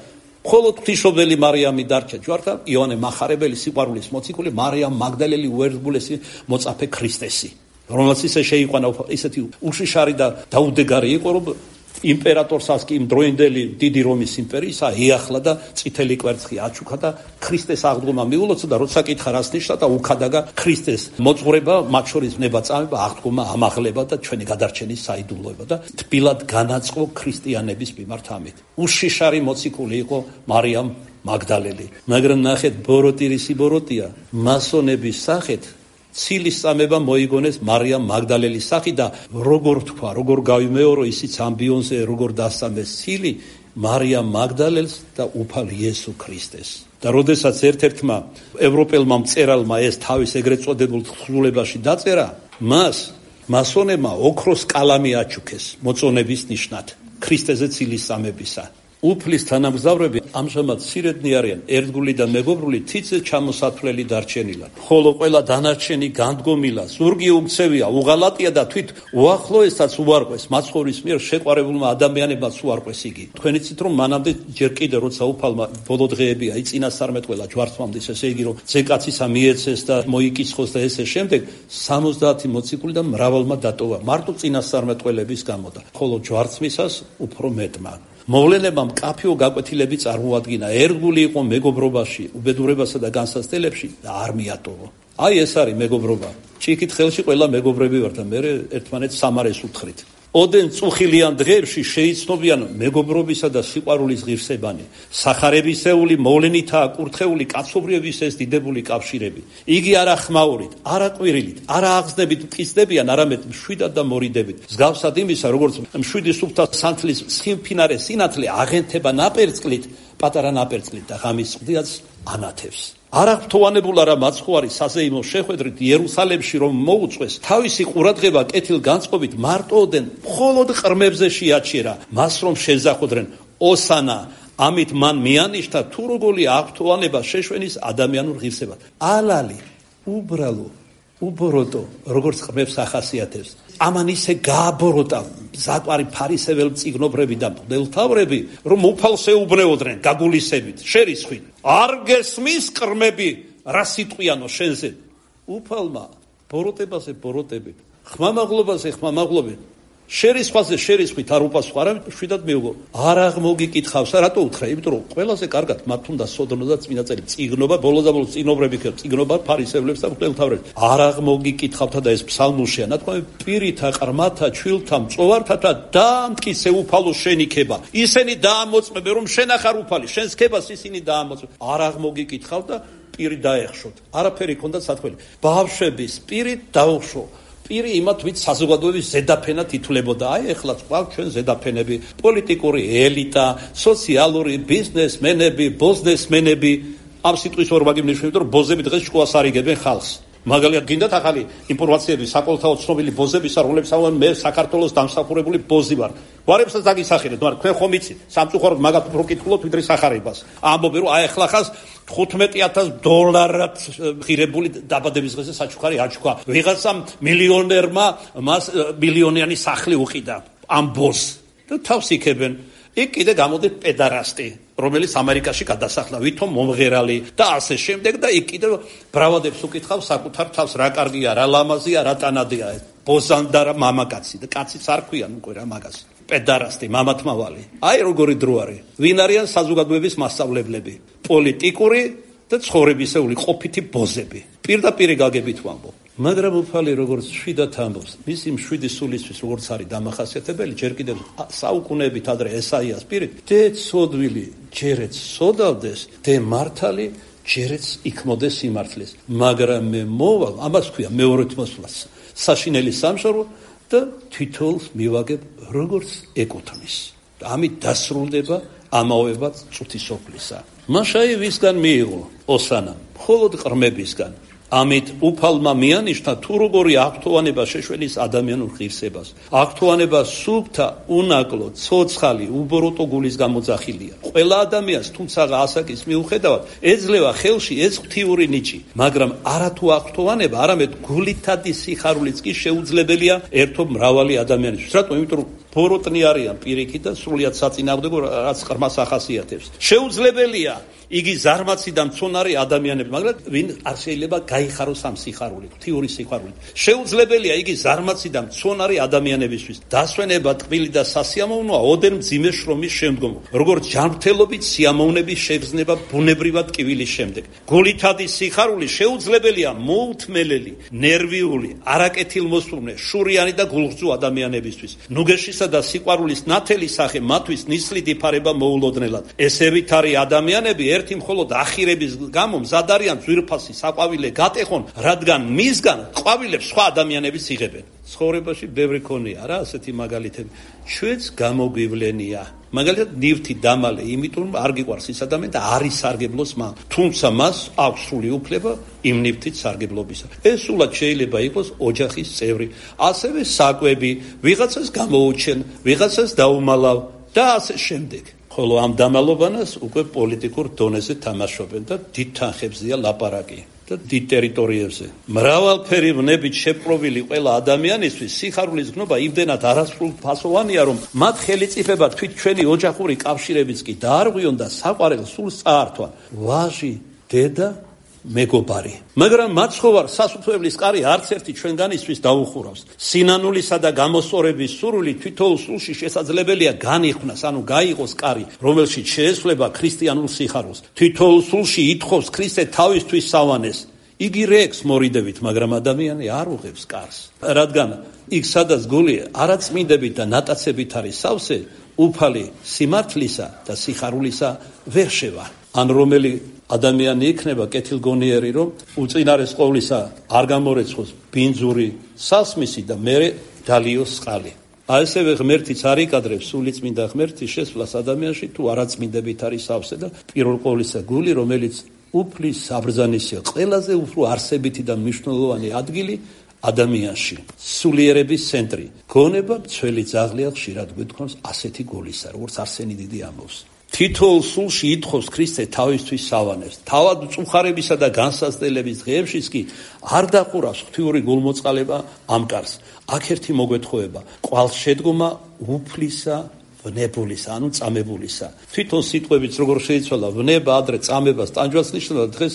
მხოლოდ ღვთისმშობელი მარიამი დარჩა ჯვართან, იოანე მახარებელი სიყვარულის მოციქული, მარიამ მაგდალელი უერთგულესი მოწაფე ქრისტესი, რომელსაც ისე შეიყვანა ისეთი უშიშარი და დაუდეგარი იყო, რომ იმპერატორსაც კი იმ დროინდელი დიდი რომის იმპერიისა ეახლა და წითელი კვერცხი აჩუქა და ქრისტეს აღდგომა მიულოცა და როცა კითხა რას ნიშნავს და უქადაგა ქრისტეს მოძღვრება, მათ შორის ნება-წამება, აღდგომა, ამაღლება და ჩვენი გადარჩენის საიდუმლოება და თბილად განაწყო ქრისტიანების მიმართ ამით. უშიშარი მოციქული იყო მარიამ მაგდალელი. მაგრამ ნახეთ, ბოროტირისი ბოროტია, მასონების სახით ცილის წამება მოიგონეს მარიამ მაგდალელის სახით და როგორ თქვა, როგორ გავიმეორო ისიც ამბიონზე, როგორ დასწამეს ცილი მარიამ მაგდალელს და უფალ იესო ქრისტეს. და როდესაც ერთ-ერთმა ევროპელმა მწერალმა ეს თავის ეგრეთ წოდებულ თხზულებაში დაწერა, მას მასონებმა ოქროს კალამი აჩუქეს მოწონების ნიშნად ქრისტეზე ცილის წამებისა. უფლის თანამგზავრები ამჟამად მცირედნი არიან, ერთგული და მეგობრული თითზე ჩამოსათვლელი დარჩენილან. ხოლო ყველა დანარჩენი განდგომილა, ზურგი უქცევია, უღალატია და თვით უახლოესაც უარყვეს, მაცხოვრის მიერ შეყვარებულმა ადამიანებმაც უარყვეს იგი. თქვენ იცით რომ მანამდე ჯერ კიდე როცა უფალმა ბოლო დღეებია იწინასწარმეტყველა ჯვარცმამდის, ესე იგი რომ ძეკაცისა მიეცეს და მოიკიცხოს და ესე შემდეგ სამოცდაათი მოციქული და მრავალმა დატოვა მარტო წინასწარმეტყველების გამო და ხოლო ჯვარცმისას უფრო მეტმა. მოვლენებამ კაფეო გაკვეთილები წარმოადგინა, ერთგული იყო მეგობრობაში, უბედურებასა და განსაცდელებში და არ მიატოვო. აი ეს არის მეგობრობა. ჭიქით ხელში ყველა მეგობრები ვართ და მე ერთმანეთს სამარეს უთხრით. ოდენ წუხილიან დღეებში შეიცნობიან მეგობრობისა და სიყვარულის ღირსებანი. სახარებისეული მოვლენითაა კურთხეული კაცობრიობის ეს დიდებული კავშირები. იგი არა ხმაურით, არა ყვირილით, არა აღზნებით მტკიცდებიან, არამედ მშვიდად და მორიდებით. მსგავსად იმისა, როგორც მშვიდი სუფთა სანთლის სხიმფინარე სინათლე აღენთება ნაპერწკლით, პატარა ნაპერწკლით და ღამის წყდიაც ანათებს. არა ღვთოვანებულ არა მაცხოვარი საზეიმო შეხვედრით იერუსალემში რომ მოუწყვეს, თავისი ყურადღება კეთილ განწყობით მარტოოდენ მხოლოდ ყრმებზე შეაჩერა, მას რომ შეზახოდრენ ოსანა, ამით მან მიანიშთა თუ როგორი აღთოვანება შეშვენის ადამიანურ ღირსებად. ალალი, უბრალო, უბოროტო, როგორც ყრმებს ახასიათებს. ამან ისე გააბოროტა საკვარი ფარისეველ მწიგნობრები და მღვდელმთავრები, რომ უფალს ეუბნეოდნენ გაგულისებით, შერისხვით. არ გესმის ყრმები რა სიტყვიანო შენზე. უფალმა ბოროტებაზე ბოროტებით, ხმამაღლობაზე ხმამაღლობით, შერისხვაზე შერისხვით არ უპასუხა, არამედ შვიდად მიუგო. არ აღმოგიკითხავს, რატო უთხრა? იმიტომ რომ ყველაზე კარგად მათ უნდა სოდნო და წმინდა წელი წიგნობა, ბოლოს და ბოლოს წიგნობრები ქეფ, წიგნობა ფარისევლებს და მღვდელმთავრებს. არ აღმოგიკითხავთ და ეს ფსალმუშია, ნათქვამი პირითა, ყრმათა, ჩვილთა, მწოვართათა დაამტკიცე უფალო შენიქება. ისინი დაამოწმებენ რომ შენ ახარ უფალი, შენს ქებას ისინი დაამოწმებენ. არ აღმოგიკითხავთ და პირი დაეხშოთ. არაფერი ქონდა სათქველი. ბავშვების პირით დაუხშო. პირი იმათ ვით საზოგადოების ზედაფენად ითვლებოდა. აი ეხლა ყავთ ჩვენ ზედაფენები, პოლიტიკური ელიტა, სოციალური ბიზნესმენები, ბოზნესმენები. ამ სიტყვის ორბაგი მნიშნავდა რომ ბოზები დღეს შუას არიგებენ ხალხს. მაგალითად გინდათ ახალი ინფორმაციები საკოლთაო ცნობილი ბოზებისა, რომლებსაც ამან მე საქართველოს დამსახურებული ბოზი ვარ. გვარებსაც დაგისახელეთ, მაგრამ თქვენ ხომ იცით, სამწუხაროდ მაგათ უფრო კითხულობთ ვიდრე სახარებას. ამბობენ რომ აი ახლა ხას თხუთმეტი ათას დოლარად ღირებული დაბადების დღეზე საჩუქარი აჩქვა. ვიღაცამ მილიონერმა მას მილიონიანი სახლი უყიდა ამ ბოზს და თავს იქებენ. იქ კიდე გამოდის პედარასტი, რომელიც ამერიკაში გადასახლა, ვითომ მომღერალი და ასე შემდეგ და იქ კიდე ბრავადებს უკითხავს საკუთარ თავს, რა კარგია, რა ლამაზია, რა ტანადია, ბოზანდა რა მამაკაცი და კაციც არ ქვიან უკვე რა მაგას. პედარასტი, მამათმავალი. აი როგორი დრო არის. ვინ არიან საზოგადოების მასწავლებლები, პოლიტიკური და ცხოვრებისეული ყოფითი ბოზები. პირდაპირ გაგებით ვამბობ. მაგრამ უფალი როგორც შვიდად ამბობს, მისი მშვიდი სულისთვის როგორც არის დამახასიათებელი, ჯერ კიდევ საუკუნეებით ადრე ესაიას პირით, დე ცოდვილი ჯერეც სოდავდეს, დე მართალი ჯერეც იქმოდეს სიმართლეს. მაგრამ მე მოვალ, ამას ქვია მეორედ მოსვლას, საშინელი სამშობლო და თითოეულს მივაგებ როგორც ეკუთვნის. ამით დასრულდება ამავება წუთი სოფლისა. მაშაი ვისგან მიიღო ოსანა, მხოლოდ ყრმებისგან. ამით უფალმა მიანიშნა თუ როგორი აქტოვანება შეშველის ადამიანურ ღირსებას. აქტოვანება სუფთა, უნაკლო, ცოცხალი, უბოროტო გულის გამოძახილია. ყველა ადამიანს, თუმცა ასაკის მიუხედავად, ეძლევა ხელში ეს ღვთიური ნიჭი, მაგრამ არათუ აქტოვანება, არამედ გულითადი სიხარულიც კი შეუძლებელია ერთობ მრავალი ადამიანისთვის. რატომ? იმიტომ რომ ბოროტნი არიან პირიქით და სრულიად საწინააღმდეგო, რაც ყრმას ახასიათებს. შეუძლებელია იგი ზარმაცი და მცონარი ადამიანები, მაგრამ ვინ არ შეიძლება გაიხაროს ამ სიხარული, ღვთიური სიხარული. შეუძლებელია იგი ზარმაცი და მცონარი ადამიანებისთვის. დასვენება ტყბილი და სასიამოვნოა ოდენ მძიმე შრომის შემდგომ, როგორც ჯანმრთელობით სიამოვნების შეგრძნება ბუნებრივად ტკივილის შემდეგ. გულითადი სიხარული შეუძლებელია მოუთმელელი, ნერვიული, არაკეთილმოსურნე, შურიანი და გულღწუ ადამიანებისთვის. ნუგეშისა და სიყვარულის ნათელი სახე მათთვის ნისლით იფარება მოულოდნელად. ესევით არის ადამიანები ერთი მხოლოდ ახირების გამო მზად არიან ძვირფასი საყვავილე გატეხონ, რადგან მისგან ყვავილებს სხვა ადამიანებიც იღებენ. ცხოვრებაში ბევრი ქონია რა ასეთი მაგალითები. ჩვენც გამოგვივლენია. მაგალითად ნივთი დამალე, იმიტომ რომ არ გიყვარს ის ადამიანი და არ ისარგებლოს მან. თუმცა მას აქვს სრული უფლება იმ ნივთით სარგებლობისა. ეს სულად შეიძლება იყოს ოჯახის წევრი, ასევე საკვები, ვიღაცას გამოუჩენ, ვიღაცას დაუმალავ და ასე შემდეგ. ხოლო ამ დამალობანას უკვე პოლიტიკურ დონეზე თამაშობენ და დიდ თანხებზეა ლაპარაკი და დიდ ტერიტორიებზე. მრავალფერი ვნებით შეპყრობილი ყველა ადამიანისთვის სიხარულის გნობა იმდენად არასრულფასოვანია, რომ მათ ხელიწიფება თვით ჩვენი ოჯახური კავშირებიც კი დაარღვიონ და საყვარელ სულს წაართვა. ვაჟი, დედა, მეგობარი. მაგრამ მაცხოვარ სასუფეველის კარი არც ერთი ჩვენგანისთვის დაუხურავს. სინანულისა და გამოსწორების სურვილი თვითოულ სულში შესაძლებელია განიხვნას, ანუ გაიღოს კარი, რომელშიც შეესვლება ქრისტიანულ სიხარულს. თვითოულ სულში ითხოვს ქრისტე თავისთვის სავანეს. იგი რექს მორიდებით, მაგრამ ადამიანი არ უღებს კარს. რადგან იქ სადაც გული არაწმინდებით და ნატაცებით არის სავსე, უფალი სიმართლისა და სიხარულისა ვერ შევა. ან რომელი ადამიანი იქნება კეთილგონიერი, რომ უწინარეს ყოვლისა არ გამორეცხოს ბინძური სასმისი და მერე დალიოს წყალი. ასევე ღმერთიც არ იკადრებს სულიწმინდა ღმერთის შესვლას ადამიანში, თუ არაწმინდებით არის სავსე და პირველ ყოვლისა გული, რომელიც უფლის საბრძანისია, ყველაზე უფრო არსებითი და მნიშვნელოვანი ადგილი ადამიანში, სულიერების ცენტრი. გონება მცველი ძაღლია, ხშირად გვეთქვამს ასეთი გულისა, როგორც არსენი დიდი ამბობს. თითოეულ სულში ითხოვს ქრისტე თავისთვის სავანეს. თავად მწუხარებისა და განსაცდელების დღეებშიც კი არ დაყურავს ღვთიური გულმოწყალება ამ კარს. აქ ერთი მოგვეთხოვება, ყვალს შედგომა უფლისა, ვნებულისა, ანუ წამებულისა. თვითონ სიტყვებიც როგორ შეიცვალა, ვნება ადრე წამებას, ტანჯვას ნიშნავს, დღეს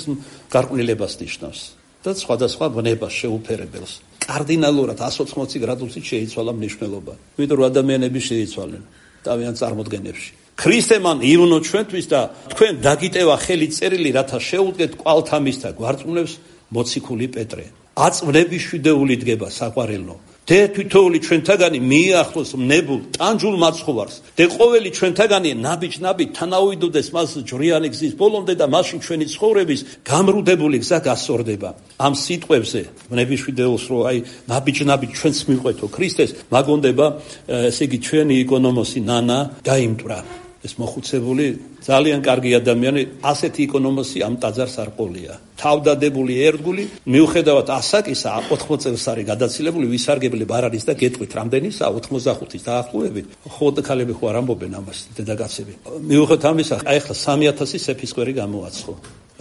გარყვნილებას ნიშნავს და სხვადასხვა ვნებას შეუფერებელს. კარდინალურად εκατს ოცდაოთხ გრადუსით შეიცვალა მნიშვნელობა. იმიტომ რომ ადამიანები შეიცვალნენ თავიანთ წარმოდგენებში. ქრისტე მან ივნო ჩვენთვის და თქვენ დაგიტევა ხელი წერილი, რათა შეუდგეთ კვალთამის და გვარწმუნებს მოციქული პეტრე. აწვნების შვიდეული დგება საყვარელო. დე თვითოული ჩვენთაგანი მიახლოს მნებულ ტანჯულ მაცხოვარს. დე ყოველი ჩვენთაგანი ნაბიჯ-ნაბიჯ თანაუიდოდეს მას ჯვრიანი გზის ბოლომდე და მაშინ ჩვენი ცხოვრების გამრუდებული გზა გასწორდება. ამ სიტყვებზე მნების შვიდეულს რო აი ნაბიჯ-ნაბიჯ ჩვენს მიყვეთო ქრისტეს, მაგონდება ესე იგი ჩვენი იკონომოსი ნანა დაიმტვრა. ეს მოხუცებული ძალიან კარგი ადამიანი, ასეთი იკონომოსი ამ ტაძარს არ ყოლია. თავდადებული ერთგული, მიუხედავად ასაკისა, ოთხმოც წელს არის გადაცილებული, ვისარგებლებ არ არის და გეტყვით რამდენისა, ოთხმოცდახუთის დაახლოებით. ხოდა ქალები ხო არ ამბობენ ამას, დედაკაცები. მიუხედავად ამისა, აი ახლა სამი ათასი სეფისკვერი გამოაცხო.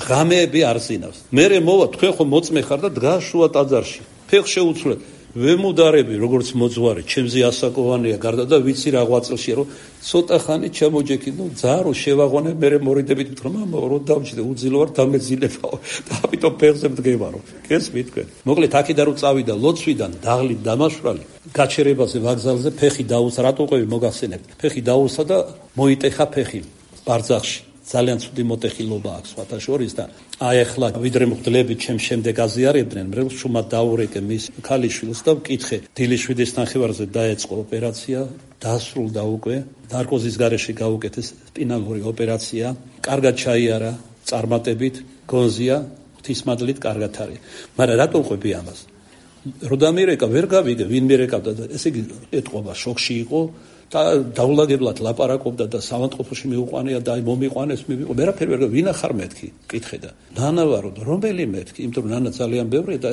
ღამეები არ ზინავს. მერე მოვა, თქვენ ხო მოწმე ხარ და დგას შუა ტაძარში. ფეხ შეუცვლეთ. ვემუდარები, როგორც მოძღვარი, ჩემზე ასაკოვანია გარდა და ვიცი რა ღვაწლშია, რომ ცოტა ხანი ჩამოჯექი, ნუ ძარო შევაღვანე, მერე მორიდებით ვთქვა, მამა, რო დავჭიდე, უძილო ვარ, დამეძილებაო. და ამიტომ ფეხზე მდგებარო. გესმით თქვენ? მოკლედ, აქედან რომ წავიდა ლოცვიდან, დაღლით დამაშვრალი, გაჩერებაზე ვაგზალზე ფეხი დაუსა, რატო ყვევი მოგახსენებთ? ფეხი დაუსა და მოიტეხა ფეხი ბარძახში. ძალიან ცუდი მოტეხილობა აქვს სხვათა შორის და აი ახლა ვიდრე მღვდლები ჩემ შემდეგ აზიარებდნენ მრევლს შუმად დაურეკე მის ქალიშვილს და ვკითხე დილის შვიდის ნახევარზე დაეწყო ოპერაცია დასრულდა უკვე ნარკოზის გარეშე გაუკეთეს სპინალური ოპერაცია კარგად ჩაიარა წარმატებით გონზია ღვთისმადლით კარგად არის მაგრამ რატომ ყვები ამას რო დამირეკა ვერ გავიგე ვინ მირეკავდა და ესე იგი ეთყობა შოქში იყო და დაულაგებლად ლაპარაკობდა და სამანტყოფოში მიუყვანია და აი მომიყვანეს მივიყო ვერაფერი ვერ ვინა ხარ მეთქი კითხე და ნანა ვარო რომელი მეთქი იმიტომ რომ ნანა ძალიან ბევრია და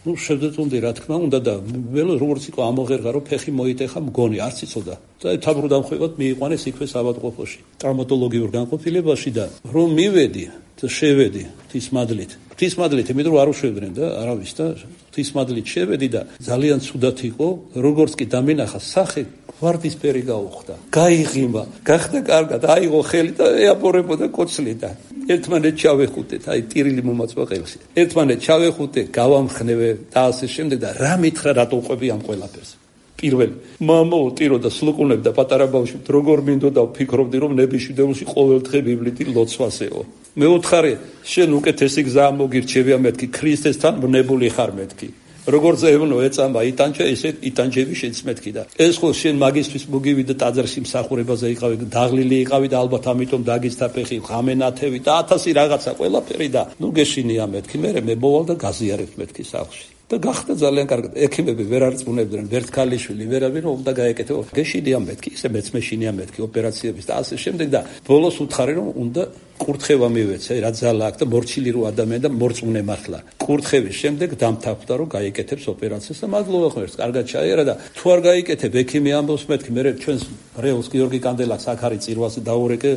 ну შევძეთუნდი რა თქმა უნდა და ველო როგორც იყო ამოღერღა რომ ფეხი მოიტეხა მგონი არც იცოდა და თავბრუდამხვევად მიიყვანეს იქვე სამანტყოფოში ტრავმატოლოგიურ განყოფილებაში და რომ მივედი და შევედი ღვთისმადლით ღვთისმადლით იმიტომ რომ არ უშვებდნენ და არავის და ღვთისმადლით შევედი და ძალიან ცუდად იყო როგორც კი დამინახა სახე ვარდისფერი გაუხდა გაიღიმა გახდა კარგად აიღო ხელი და ეაბორებოდა კოცლი და ერთმანეთს ჩავეხუტეთ აი ტირილი მომაწვა ყელში ერთმანეთს ჩავეხუტე გავამხნევე და ასე შემდეგ და რა მითხრა რატო ყვები ამ ყველაფერს პირველი მამო ტირო და სლუკუნებ და პატარა ბავშვი როგორ მინდოდა ვფიქრობდი რომ ნებიშვიდეულში ყოველდღე ბიბლითი ლოცვასეო მეოთხარე შენ უკეთესი გზა მოგირჩევია მეთქი ქრისტესთან ვნებული ხარ მეთქი როგორც ევნო ეწამა იტანჯა ესე იტანჯები შენც მეთქი და ეს ხო შენ მაგისტრის მოგივიდა ტაძარში მსახურებაზე იყავი დაღლილი იყავი და ალბათ ამიტომ დაგიცდა ფეხი ღამენათევი და ათასი რაღაცა ყველაფერი და ნუ გეშინია მეთქი მე მე მოვალ და გაზიარებ მეთქი სახლში და გახდა ძალიან კარგად ექიმები ვერ არწმუნებდნენ ვერთ ქალიშვილი ვერავინ რომ უნდა გაეკეთო გეშინია მეთქი ისე მეც მეშინია მეთქი ოპერაციების და ასე შემდეგ და ბოლოს უთხარი რომ უნდა კურთხევა მივეცე რა ძალა აქვს და მორჩილი რო ადამიანი და მორწმუნე მართლა კურთხევის შემდეგ დამთავრდა რომ გაიკეთებს ოპერაციას და მადლობა ღმერთს კარგად ჩაიარა და თუ არ გაიკეთებ ექიმი ამბობს მეთქი მე ჩვენს რეულს გიორგი კანდელაკს აქ არის წირვაზე დაურეკე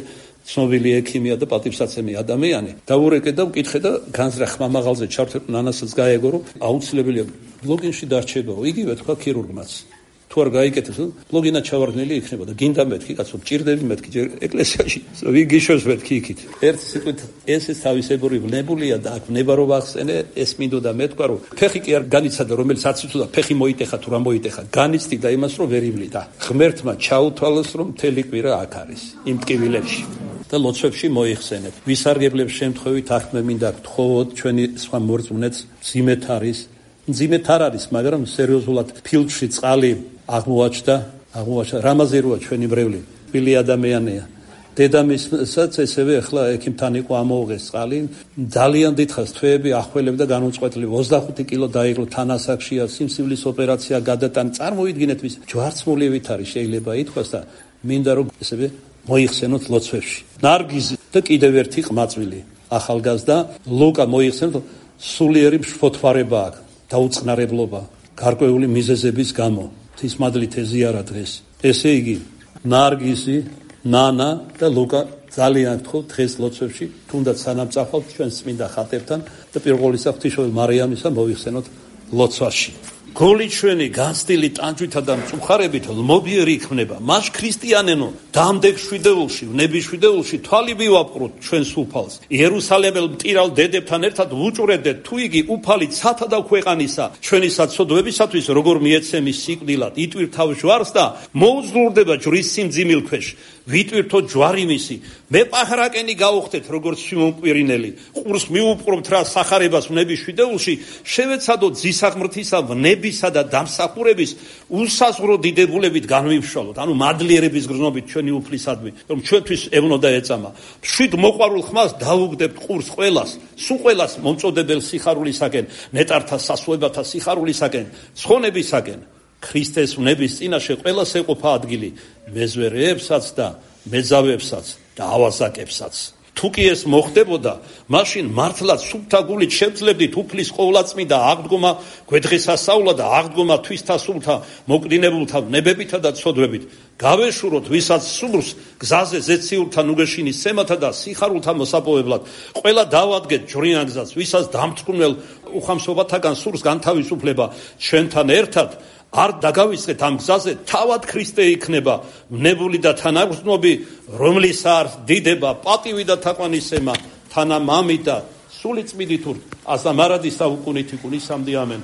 ცნობილი ექიმია და პატივსაცემი ადამიანი დაურეკე და ვკითხე და განზრახ ხმამაღალზე ჩავთვალე ნანასაც გაეგო რომ აუცილებელია ბლოგინში დარჩებაო იგივე თქვა ქირურგმაც თუ არ გაიკეთებს ბლოგინა ჩავარდნილი იქნება და გინდა მეთქი კაცო ჭირდები მეთქი ეკლესიაში ვიგიშოს მეთქი იქით ერთი სიტყვით ესეც თავისებური ვნებულია და აქ ვნება რომ ახსენე ეს მინდოდა მეთქვა რომ ფეხი კი არ განიცადა რომელიც აციცოდა ფეხი მოიტეხა თუ რა მოიტეხა განიცდი და იმას რომ ვერ ივლიდა ღმერთმა ჩაუთვალოს რომ მთელი კვირა აქ არის იმ ტკივილებში და ლოცვებში მოიხსენებ ვისარგებლებს შემთხვევით აქ მე მინდა გთხოვოთ ჩვენი სხვა მორწმუნეც მძიმედ არის მძიმედ არ არის მაგრამ სერიოზულად ფილტვში წყალი აღმოაჩნდა აღმოაჩნდა რამაზე როა ჩვენი მრევლი თბილი ადამიანია დედამისაც ესევე ახლა ექიმთან იყო ამოუღეს წყალი ძალიან დიდხანს თვეები ახველებდა განუწყვეტლივ ოცდახუთი კილო დაიღო თანასახშია სიმსივლის ოპერაცია გადატან წარმოიდგინეთ ვის ჯვარცმულივით არის შეიძლება ითქვას და მინდა რომ ესევე მოიხსენოთ ლოცვებში ნარგიზი და კიდევ ერთი ყმაწვილი ახალგაზრდა ლუკა მოიხსენოთ სულიერი მშფოთვარება აქვს დაუწყნარებლობა გარკვეული მიზეზების გამო ღვთისმადლით ეზიარა დღეს ესე იგი ნარგიზი ნანა და ლუკა ძალიან გთხოვთ დღეს ლოცვებში თუნდაც სანამ წახვალთ ჩვენს წმინდა ხატებთან და პირველისა ღვთისმშობელ მარიამისა მოიხსენოთ ლოცვაში გოლი ჩვენი განცდილი ტანჯვითა და მწუხარებით ლმობიერი იქნება მას ქრისტიანენო დამდეგ შვიდეულში ვნების შვიდეულში თვალი ვივაპყროთ ჩვენ სულფალს იერუსალემელ მტირალ დედებთან ერთად ვუჭურებდეთ თუ იგი უფალი ცათა და ქვეყანისა ჩვენი საცოდვებისათვის როგორ მიეცემის სიკვდილად იტვირთავ ჯვარს და მოუძლურდება ჯვრის სიმძიმილ ქვეშ ვიტვირთო ჯვარი მისი მე პაჰრაკენი გაუხდეთ როგორც სიმონკვირინელი ყურს მიუპყრობთ რა სახარებას ვნების შვიდეულში შევეცადოთ ძისაღმრთისა ვნებისა და დამსახურების უსაზღვრო დიდებულებით განვიმშვალოთ ანუ მადლიერების გრძნობით ჩვენი უფლისადმი რომ ჩვენთვის ევნო და ეწამა შვიდ მოყვარულ ხმას დავუგდებთ ყურს ყველას სულ ყველას მომწოდებელ სიხარულისაკენ ნეტართა სასუებათა სიხარულისაკენ ცხონებისაკენ ქრისტეს ვნების წინაშე ყველას ეყოფა ადგილი მეზვერეებსაც და მეძავებსაც და ავაზაკებსაც თუ კი ეს მოხდებოდა მაშინ მართლაც სუფთა გულით შევძლებდით უფლის ყოვლადწმიდა აღდგომა გვედღესასწაულა და აღდგომა თვისთა სულთა მოკდინებულთა ვნებებითა და ცოდვებით გავეშუროთ ვისაც სურს გზაზე ზეციურთა ნუგეშინის სემათა და სიხარულთა მოსაპოვებლად ყველა დავადგეთ ჯვრიან გზას ვისაც დამთქმელ უხამსობათაგან სურს განთავისუფლება ჩვენთან ერთად არ დაგავიწყეთ ამ გზაზე თავად ქრისტე იქნება ვნებული და თანაგრძნობი რომლის არ დიდება პატივი და თაყვანისცემა თანა მამით და სული წმიდით აზა მარადის საუკუნით იკუნისამდე ამენ